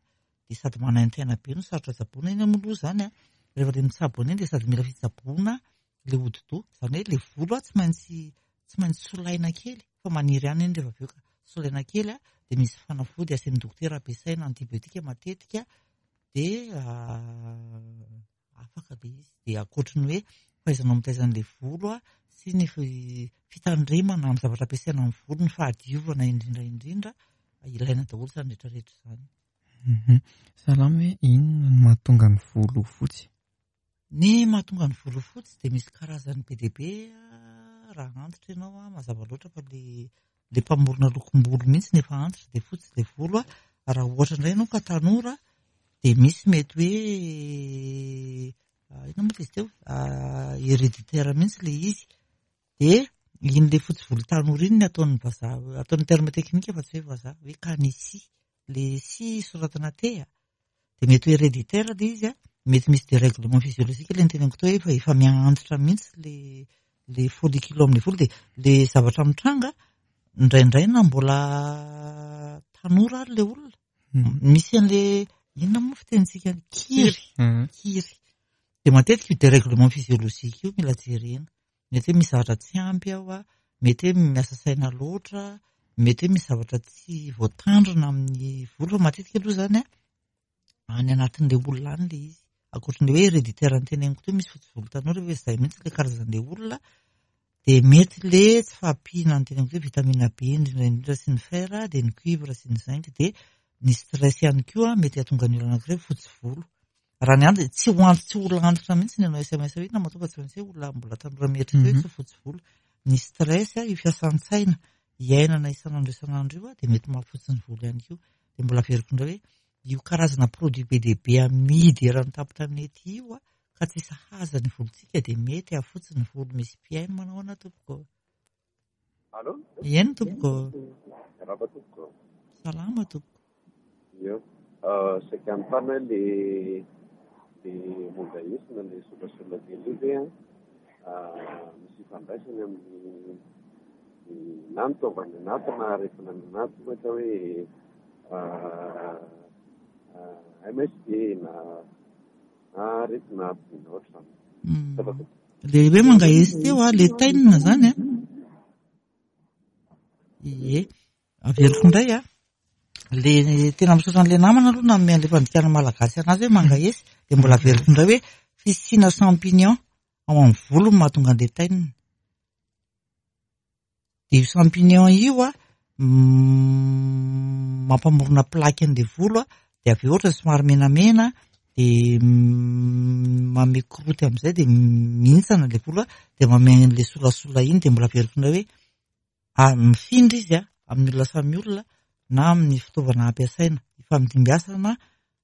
dia sady manaintaina be no sarotra tsaboina iny moa aloha izany a. Rehefa ilay mitsabo an'iny dia sady mila fitsaboana ilay hodi-doha, izany hoe ilay volo a tsy maintsy, tsy maintsy solaina kely fa maniry ihany iny rehefa avy eo ka solaina kely a, dia misy fanafody asain'ny dokotera ampiasaina antibiotika matetika dia, ah, afaka ilay izy. Dia ankoatry ny hoe fahaizanao mitaiza an'ilay volo a, sy ny fi-, fitandremana amin'ny zavatra ampiasaina amin'ny volo, ny fahadiovana indrindra indrindra, ilaina daholo izany rehetrarehetra izany. Mhm. Salama hoe inona no mahatonga ny volo fotsy? Ny mahatonga ny volo fotsy dia misy karazany be dia be, raha antitra ianao a, mazava loatra fa le, le mpamorona lokom-bolo mihitsy nefa antitra dia fotsy ilay volo a. Raha ohatra indray ianao ka tanora dia misy mety hoe, ah, inona moa izy teo? Ah, héréditaire mihitsy ilay izy. Dia iny ilay fotsy volo tanora iny ny ataon'ny vazaha, ataon'ny terme technique fa tsy hoe vazaha, hoe canisy, le si soratana T a. Dia mety hoe héréditaire ilay izy a, mety misy dérèglement physiologique ilay noteneniko teo hoe efa, efa miha-antitra mihitsy le, le follicule amin'ny volo, dia le zavatra mitranga indraindray na mbola tanora ary le olona. Hmm. Misy an'le inona moa fitenintsika any? Kiry. Hmm. Kiry. Dia matetika io dérèglement physiologique io mila jerena. Mety hoe misy zavatra tsy ampy ao a, mety hoe miasa saina loatra, mety hoe misy zavatra tsy voatandrina amin'ny volo, fa matetika aloha izany a, any anatin'ilay olona any ilay izy. Ankoatran'ilay hoe héréditaire noteneniko teo, misy fotsy volo tanora hoe izay mihitsy ilay karazan'ilay olona, dia mety le tsy fahampiana noteneniko teo, vitamine B indrindra indrindra sy ny fer, dia ny cuivre sy ny zinc, dia ny stress ihany koa mety hahatonga ny olona anankiray fotsy volo. Raha ny antitra, tsy ho antitra, tsy olona antitra mihitsy ny anao S M S hoe inona mahatonga tsy maintsy hoe olona mbola tanora mieritreritra hoe Mhm. tsy fotsy volo. Ny stress, io fiasan-tsaina iainana isan'andro isan'andro io, dia mety mahafotsy ny volo ihany koa. Dia mbola averiko indray hoe io karazana produit be dia be amidy eran'ny tampon-tanety io, ka tsy sahaza ny volontsika dia mety hahafotsy ny volo. Misy mpihaino manao ahoana tompoko? Allô? Eny tompoko. Miarahaba tompoko. Salama tompoko. Io. Euh, saika anontany hoe le, le momba esina, le solasola kely io ve, ah, misy ifandraisany amin'ny na ny taovany anaty na aretina any anaty, ohatra hoe, ah, ah, M S D na, na aretina aty na ohatr'izany. Hmm. Ça va tompoko. Le hoe mangaesy teo a, le tainina zany a. Ie, averiko indray a. Le tena misaotra an'ilay namana aloha nanome an'ilay fandikana malagasy anazy hoe mangaesy, dia mbola averiko indray hoe fisiana champignon ao amin'ny volo no mahatonga an'ilay tainina. Dia io champignon io a, mampamorona plaque an'ilay volo a, dia avy eo ohatra somary menamena, dia manome croûte amin'izay, dia mihintsana ilay volo a, dia manome an'ilay solasola iny, dia mbola averiko indray hoe mifindra izy a amin'ny olona samy olona na amin'ny fitaovana ampiasaina, ifamdimbiasana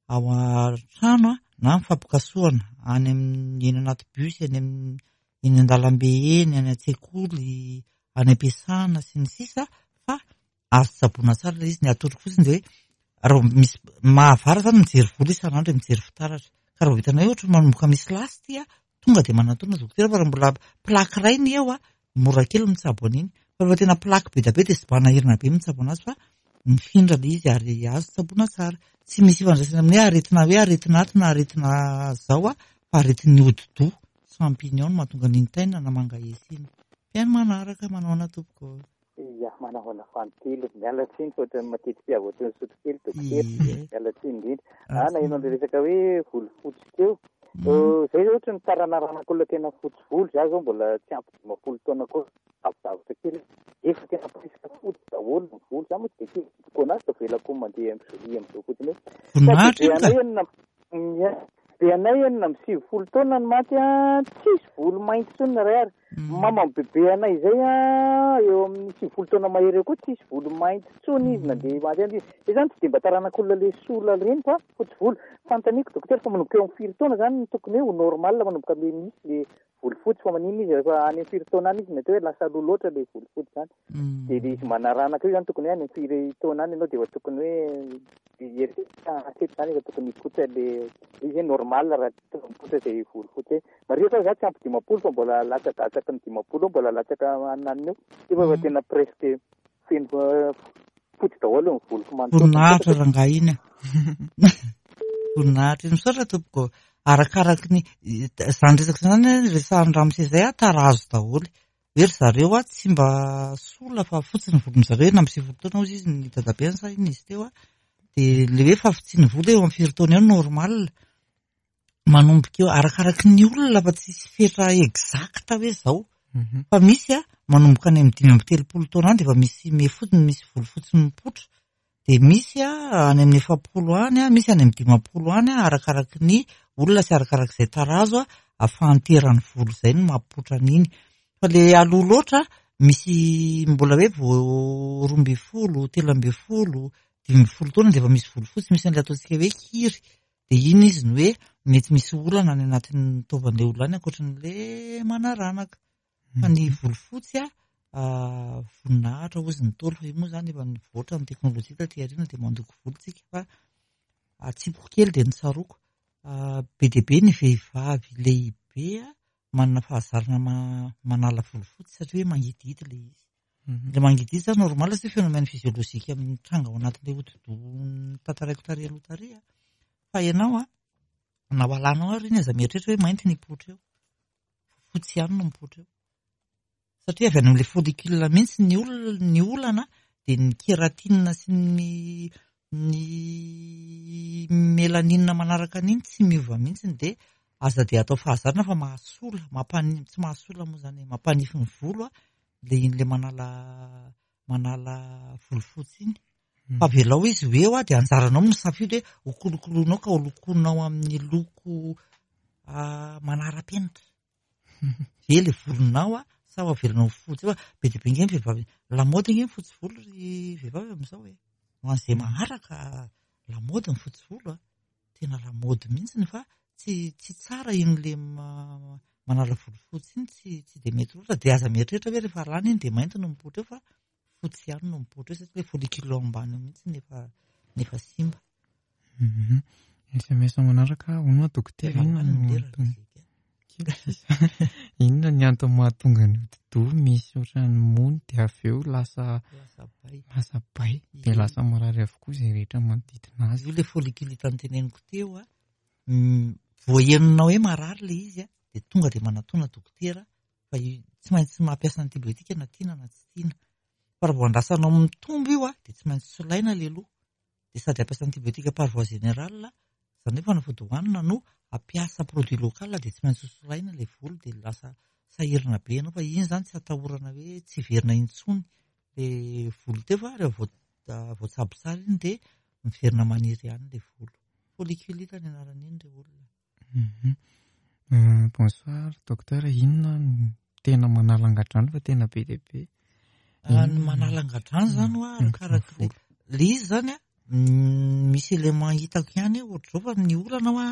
ao an-trano a na mifampikasohana any amin'ny eny anaty bus, eny amin'ny eny an-dalambe eny, any an-tsekoly, any am-piasana sy ny sisa, fa azo tsaboina tsara ilay izy. Ny atoroko fotsiny dia hoe raha misy mahavara zany mijery volo isan'andro, mijery fitaratra, ka raha vao hitanao hoe ohatra manomboka misy lasy ity a, tonga dia manatona dokotera, fa raha mbola plaque iray ny eo a, mora kely mitsabo an'iny, fa rehefa tena plaque be dia be dia sobanahirana be mitsabo anazy, fa mifindra ilay izy ary azo tsaboina tsara. Tsy misy ifandraisana amin'ny hoe aretina hoe aretina ato na aretina zao a, fa aretin'ny hodi-doha champignon no mahatonga an'iny taina na mangaesy iny. Mpihaino manaraka, manao ana tompoko. Ia, manao ana fantelo. Miala tsiny fa ohatran'ny matetika avy ohatran'ny sotro kely dokotera. Miala tsiny indrindra. Ah, na ino an'ilay resaka hoe volo fotsy teo. Zay zao ohatran'ny taranaranako olona tena fotsy volo, za zao mbola tsy ampy dimampolo taona koa, avidavitra kely. Efa tena presque fotsy daholo ny volo. Za moa tsy dia tiako anazy fa avelako mandeha amin'ny amin'izao fotsiny eo. Voninahitra iny ka. Ia, be anay enina amby sivifolo taona ny maty a, tsisy volo mainty intsony na iray ary. Mama bebe anay izay a, eo amin'ny sivifolo taona mahery eo koa tsisy volo mainty intsony izy na dia maty any izy. Izay zany tsy dia mba taranak'olona le sola ireny fa fotsy volo. Fanontaniako dokotera fa manomboka eo amin'ny firy taona zany no tokony hoe ho normal manomboka le misy le volo fotsy, fa maninona izy rehefa any amin'ny firy taona any izy mety hoe lasa aloha loatra le volo fotsy zany. Dia le izy manaranaka io zany tokony hoe any amin'ny firy taona any ianao dia efa tokony hoe hieritreritra hatreto zany efa tokony hipoitra le izy hoe normal raha tokony hipoitra izay volo fotsy. Marihiko fa za tsy ampy dimampolo fa mbola latsadatsaky ny dimampolo eo, mbola latsaka ananiny eo. Efa efa tena presque feno fotsy daholo ny voloko manontolo. Voninahitra rangahy iny a. Voninahitra iny. Misaotra tompoko. Arakaraky ny zany resaka zany resahan'ny ramose izay a, tarazo daholo. Hoe ry zareo a tsy mba sola fa fotsy ny volon-dry zareo, enina amby sivifolo taona hozy izy ny dadabeny sa inona izy teo a. Dia le hoe fahafotsian'ny volo eo amin'ny firy taona eo normal. Manomboka eo arakaraky ny olona fa tsisy fetra exact hoe zao. Fa misy a manomboka any amin'ny dimy amby telopolo taona any dia efa misy mefotsy, misy volo fotsy mipoitra. Dia misy a any amin'ny efapolo any a, misy any amin'ny dimampolo any a, arakaraky ny olona sy arakarak'izay tarazo a, ahafahanteran'ny volo izay no mampipoitra an'iny. Fa le aloha loatra misy mbola hoe vao roa ambin'ny folo, telo ambin'ny folo, dimy ambin'ny folo taona dia efa misy volo fotsy, misy an'ilay ataontsika hoe kiry. Dia iny izy no hoe mety misy olana any anatin'ny taovan'ilay olona any ankoatran'ilay manaranaka. Fa ny volo fotsy a, voninahitra hozy ny Ntaolo, fa io moa zany efa nivoatra ny teknôlôjia taty aoriana dia mandoko volo tsika, fa atsipoko kely dia nitsaroako. Be dia be ny vehivavy lehibe manana fahazarana manala volo fotsy satria hoe mangidihidy ilay izy. Ilay mangidihidy zany normal satria phénomène physiologique mitranga ao anatin'ilay hodi-doha tantaraiko tarehy aloha tarehy a. Fa ianao a, na ho alanao ary iny aza mieritreritra hoe mainty ny hipoitra eo, fotsy ihany no mipoitra eo. Satria avy any amin'ilay follicule mihitsy ny olona, ny olana dia ny kératine sy ny ny mélanine manaraka an'iny tsy miova mihitsy, dia aza dia atao fahazarana fa mahasola, mampani-, tsy mahasola moa zany, mampanify ny volo a, le iny le manala manala volo fotsy iny. Fa avelao izy ho eo a, dia anjaranao misafidy hoe ho kolokoloinao ka ho lokoinao amin'ny loko manara-penitra. Ve le volonao a, sa ho avelanao fotsy eo? Be dia be nge ny vehivavy, lamaody nge ny fotsy volo ry vehivavy amin'izao e. Ho an'izay maharaka lamaody ny fotsy volo a, tena lamaody mihitsy fa tsy tsy tsara iny le manala volo fotsy iny, tsy tsy dia mety loatra. Dia aza mieritreritra hoe rehefa alana iny dia mainty no mipoitra eo, fa fotsy ihany no mipoitra eo satria le follicule ao ambany eo mihitsy nefa nefa simba. S M S manaraka, hono dokotera, inona no antony? Inona ny antony mahatonga ny hodi-doha misy ohatran'ny mony dia avy eo lasa lasa bay, dia lasa marary avokoa izay rehetra manodidina azy. Io le follicule hitany teneniko teo a, voahenonao hoe marary le izy a, dia tonga dia manatona dokotera, fa tsy maintsy mampiasa antibiotika na tiana na tsy tiana. Fa raha vao andrasanao mitombo io a, dia tsy maintsy solaina le loha. Dia sady hampiasa antibiotika par voie générale, izany hoe fanafody hohanina no hampiasa produit local, dia tsy maintsy solaina ilay volo, dia lasa sahirana be ianao. Fa iny zany tsy atahorana hoe tsy hiverina intsony, le volo teo fa rehefa voatsabo tsara iny dia miverina maniry ihany le volo. Folliculite ny anaran'iny re olona. Bonsoir docteur, inona no tena manala angadrano fa tena be dia be? Ny manala angadrano zany hoa arakaraka le le izy zany a, misy élément hitako ihany ohatr'izao fa ny olana hoa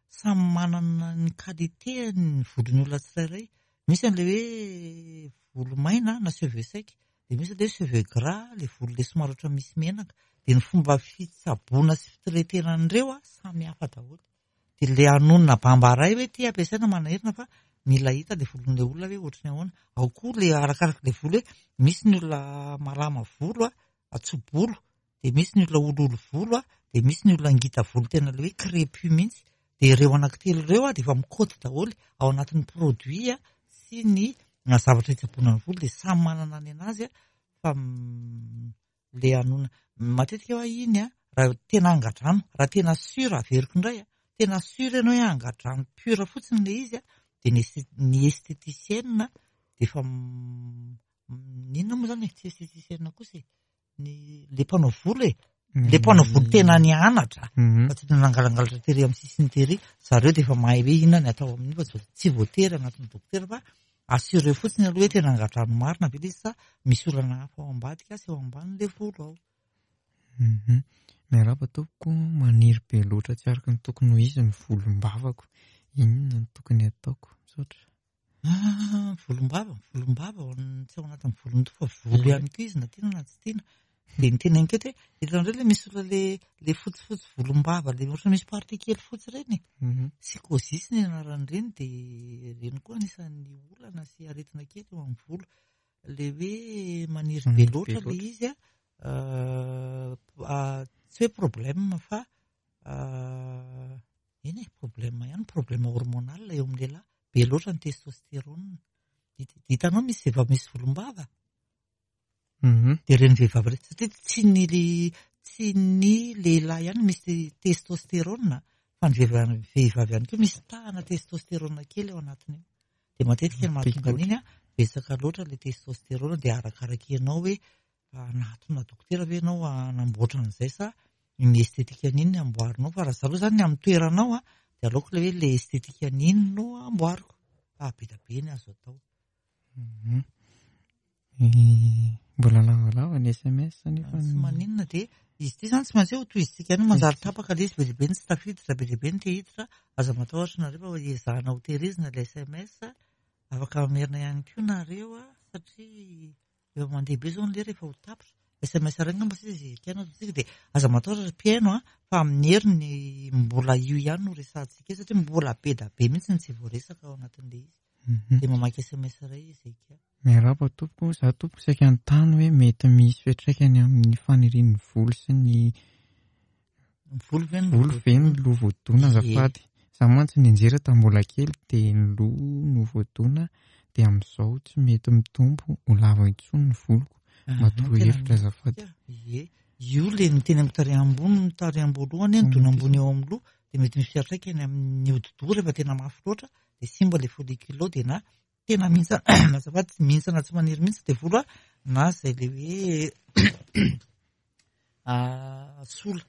samy manana ny qualité ny volon'ny olona tsirairay. Misy an'le hoe volo maina na cheveux sec, dia misy le cheveux gras, le volo le somary ohatra misy menaka. Dia ny fomba fitsaboana sy fitretena an'ireo a samy hafa daholo. Dia le anonona bambaray hoe ty ampiasaina manahirana fa mila hita le volon'le olona hoe ohatry ny ahoana. Ao koa le arakaraka le volo hoe misy ny olona malama volo a, atso-bolo, dia misy ny olona olioly volo a, dia misy ny olona ngita volo tena le hoe crépus mihitsy. Dia ireo anankitelo ireo a dia efa mikaoty daholo ao anatin'ny produit a sy ny zavatra hitsaboana ny volo, dia samy manana ny anazy a fa le anona matetika hoa iny a raha tena angadrano, raha tena sûr averiko indray a, tena sûr ianao hoe angadrano pur fotsiny le izy a, dia ny ny esthéticienne dia efa inona moa zany e, tsy esthéticienne kosa e, ny le mpanao volo e, le mpanao volo tena nianatra fa tsy nangalangalatra tery amin'ny sisiny tery, zareo dia efa mahay hoe inona ny atao amin'io fa tsy voatery anatin'ny dokotera fa assuré fotsiny aloha hoe tena angadrano marina ve le izy sa misy olana hafa ao ambadika sy ao ambany le volo ao. Miarahaba tompoko, maniry be loatra tsy araka ny tokony ho izy ny volombavako. Inona no tokony ataoko? Misaotra. Ah, volombava, volombava tsy ao anatin'ny volon-doha fa volo ihany koa izy na tiana na tsy tiana. Dia ny tena enkety hoe hitanareo le misy olona le le fotsifotsy volombava le ohatra misy partie kely fotsy ireny. Psychosis ny anaran'ireny, dia ireny koa anisan'ny olana sy aretina kely eo amin'ny volo. Le hoe maniry be loatra le izy a, tsy hoe problème fa eny e, problème ihany, problème hormonal eo amin'ny lehilahy, be loatra ny testostérone. Hitanao misy vehivavy misy volombava? Dia ireny vehivavy ireny satria tsy ny tsy ny lehilahy ihany misy testostérone fa ny vehivavy vehivavy ihany koa misy tahana testostérone kely ao anatiny io. Dia matetika ny mahatonga an'iny a betsaka loatra le testostérone, dia arakaraka ianao hoe hanatona dokotera ve ianao hanamboatra an'izay sa ny estetika an'iny no amboarinao. Fa raha za aloha zany ny amin'ny toeranao a dia aleoko le hoe le estetika an'iny no amboariko fa be dia be ny azo atao. Mbola lavalava ny S M S nefa tsy maninona, dia izy ity zany tsy maintsy hoe ho tohizintsika ihany, manjary tapaka le izy, be dia be ny tsy tafiditra, be dia be ny te hiditra. Aza matahotra nareo fa ezahana ho tehirizina le S M S, afaka mamerina ihany koa nareo a, satria efa mandeha be zao ny lera efa ho tapitra. S M S iray angamba sisa izy ekena ataontsika, dia aza matahotra ry mpihaino a, fa amin'ny heriny mbola io ihany no resahantsika eo, satria mbola be dia be mihitsy ny tsy voaresaka ao anatin'ilay izy. Dia mamaky S M S iray izy ekia. Miarahaba tompoko, za tompoko saika nitany hoe mety misy fiantraikany amin'ny fanirian'ny volo sy ny volo ve ny volo ve ny loha voadona azafady. Za mantsy nianjera tamin'ny mbola kely dia ny loha no voadona, dia amin'izao tsy mety mitombo ho lava intsony ny voloko. Matoro hevitra azafady. Ie, io le niteny amin'ny tarehy ambony, ny tarehy amboalohany, ny dona ambony eo amin'ny loha, dia mety misy fiantraikany amin'ny hodi-doha rehefa tena mafy loatra, dia simba le follicule ao, dia na tena mihintsana, azafady, tsy mihintsana tsy maniry mihitsy dia volo a, na izay le hoe sola.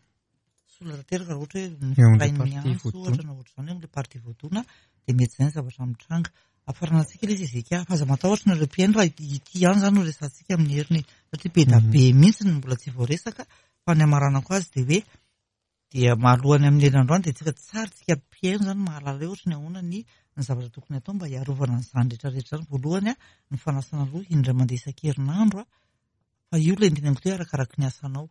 Sola tanteraka raha ohatra hoe Eo amin'ilay mifainy partie antso voadona. ohatra na ohatr'izany eo amin'ilay partie voadona, dia mety izay ny zavatra mitranga. Afarana antsika ilay izy Ezeka, fa aza matahotra nareo mpihaino raha ity ihany izany no resahantsika amin'ny heriny, satria be dia be mihitsy ny mbola tsy voaresaka, fa ny hamaranako azy dia hoe dia mahalohany amin'ny herinandro androany dia tsika tsara tsika mpihaino izany mahalala hoe ohatry ny ahoana ny ny zavatra tokony atao mba hiarovana an'izany rehetrarehetra izany. Voalohany a, ny fanasana loha indray mandeha isan-kerinandro a, fa io ilay niteneniko teo arakaraka ny asanao.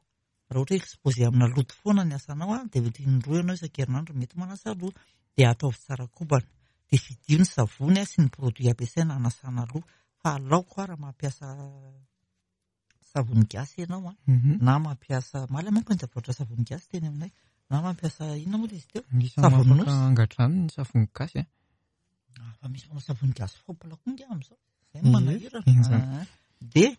Raha ohatra hoe exposé amina loto foana ny asanao a, dia mety indroa ianao isan-kerinandro mety manasa loha, dia ataovy tsara kobana, dia fidio ny savony a sy ny produit ampiasaina hanasana loha. Fa aleoko a raha mampiasa savony gasy ianao a, na mampiasa maly manko ny zavatra savony gasy teny aminay, na mampiasa inona moa izy teo? Misy Savony mamaka nosy. angadrano ny savony gasy a. Ah, fa misy manao savony gasy fopla koa nge amin'izao. Izay no Ie, manahirana. izany. Ah, dia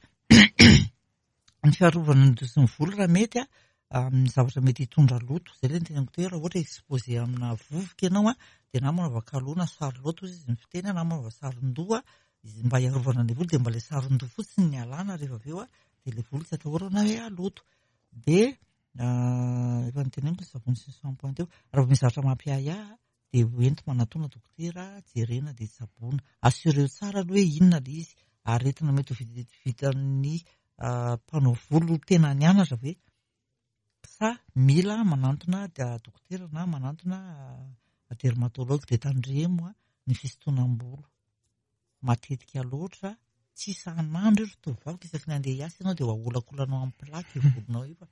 ny fiarovana ny dosin'ny volo raha mety a, amin'ny zavatra mety hitondra loto. Izay ilay niteneniko teo, raha ohatra exposé amina vovoka ianao a, dia na manaova kalo na saron-loto izy ny fiteny, na manaova saron-doha, izy mba hiarovana ny volo, dia mba ilay saron-doha fotsiny ny alana rehefa avy eo a, Dia ilay volo tsy atahorana hoe haloto. Dia efa noteneniko ny savony sy ny shampoing teo. Raha vao misy zavatra mampiahiahy dia hoenti manatona dokotera, jerena dia tsaboina. Assureo tsara aloha hoe inona ilay izy. Aretina mety ho vitan'ny mpanao volo tena nianatra ve? Sa mila manantona dokotera na manantona dermatologue. Dia tandremo ny fisintonam-bolo. Matetika loatra, tsy isan'andro io ry tovovavy, isaky ny andeha hiasa ianao dia ho aholakolanao amin'ny plaque io volonao io fa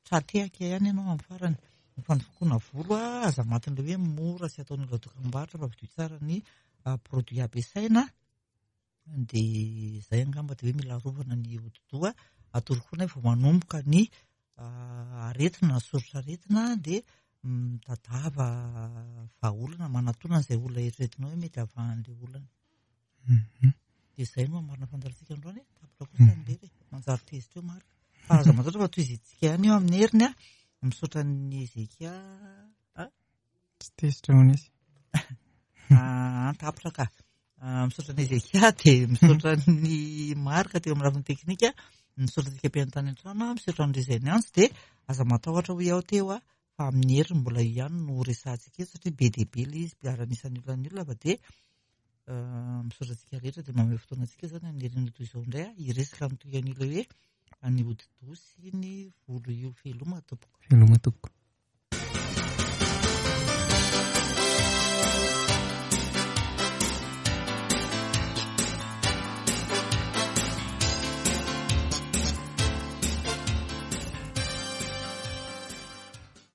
tra-tehaka ihany ianao amin'ny farany. Ny fandokoana volo aza matin'ilay hoe mora sy ataon'olona dokam-barotra fa vidio tsara ny produit ampiasaina. Dia izay angamba dia hoe mila arovana ny hodi-doha. Atoro koa nefa vao manomboka ny aretina na soritr'aretina dia mitadiava vahaolana, manatona an'izay olona eritreretinao hoe mety havahan'ilay olana. Dia izay no hamarina fandaharantsika androany. Tapitra kosa ny lera e, manjary tezitra eo Marc. Fa aza matahotra fa tohizintsika ihany io amin'ny heriny a. Misaotra an'i Ezekia. Tsy tezitra hono izy. Tapitra ka. Misaotra an'i Ezekia dia misaotra an'i Marc teo amin'ny lafiny teknika. Misaotra antsika mpihaino tany an-trano, misaotra an'ireo izay niantso. Dia aza matahotra hoy aho teo a, fa amin'ny heriny mbola io ihany no resahantsika eto satria be dia be ilay izy ary anisan'ny olona ny olona fa dia misaotra antsika rehetra. Dia mamehy fotoana antsika izany amin'ny heriny toy izao indray hiresaka amin'ny toy an'ilay hoe ny hodi-doha sy ny volo io. Veloma tompoko. Veloma tompoko.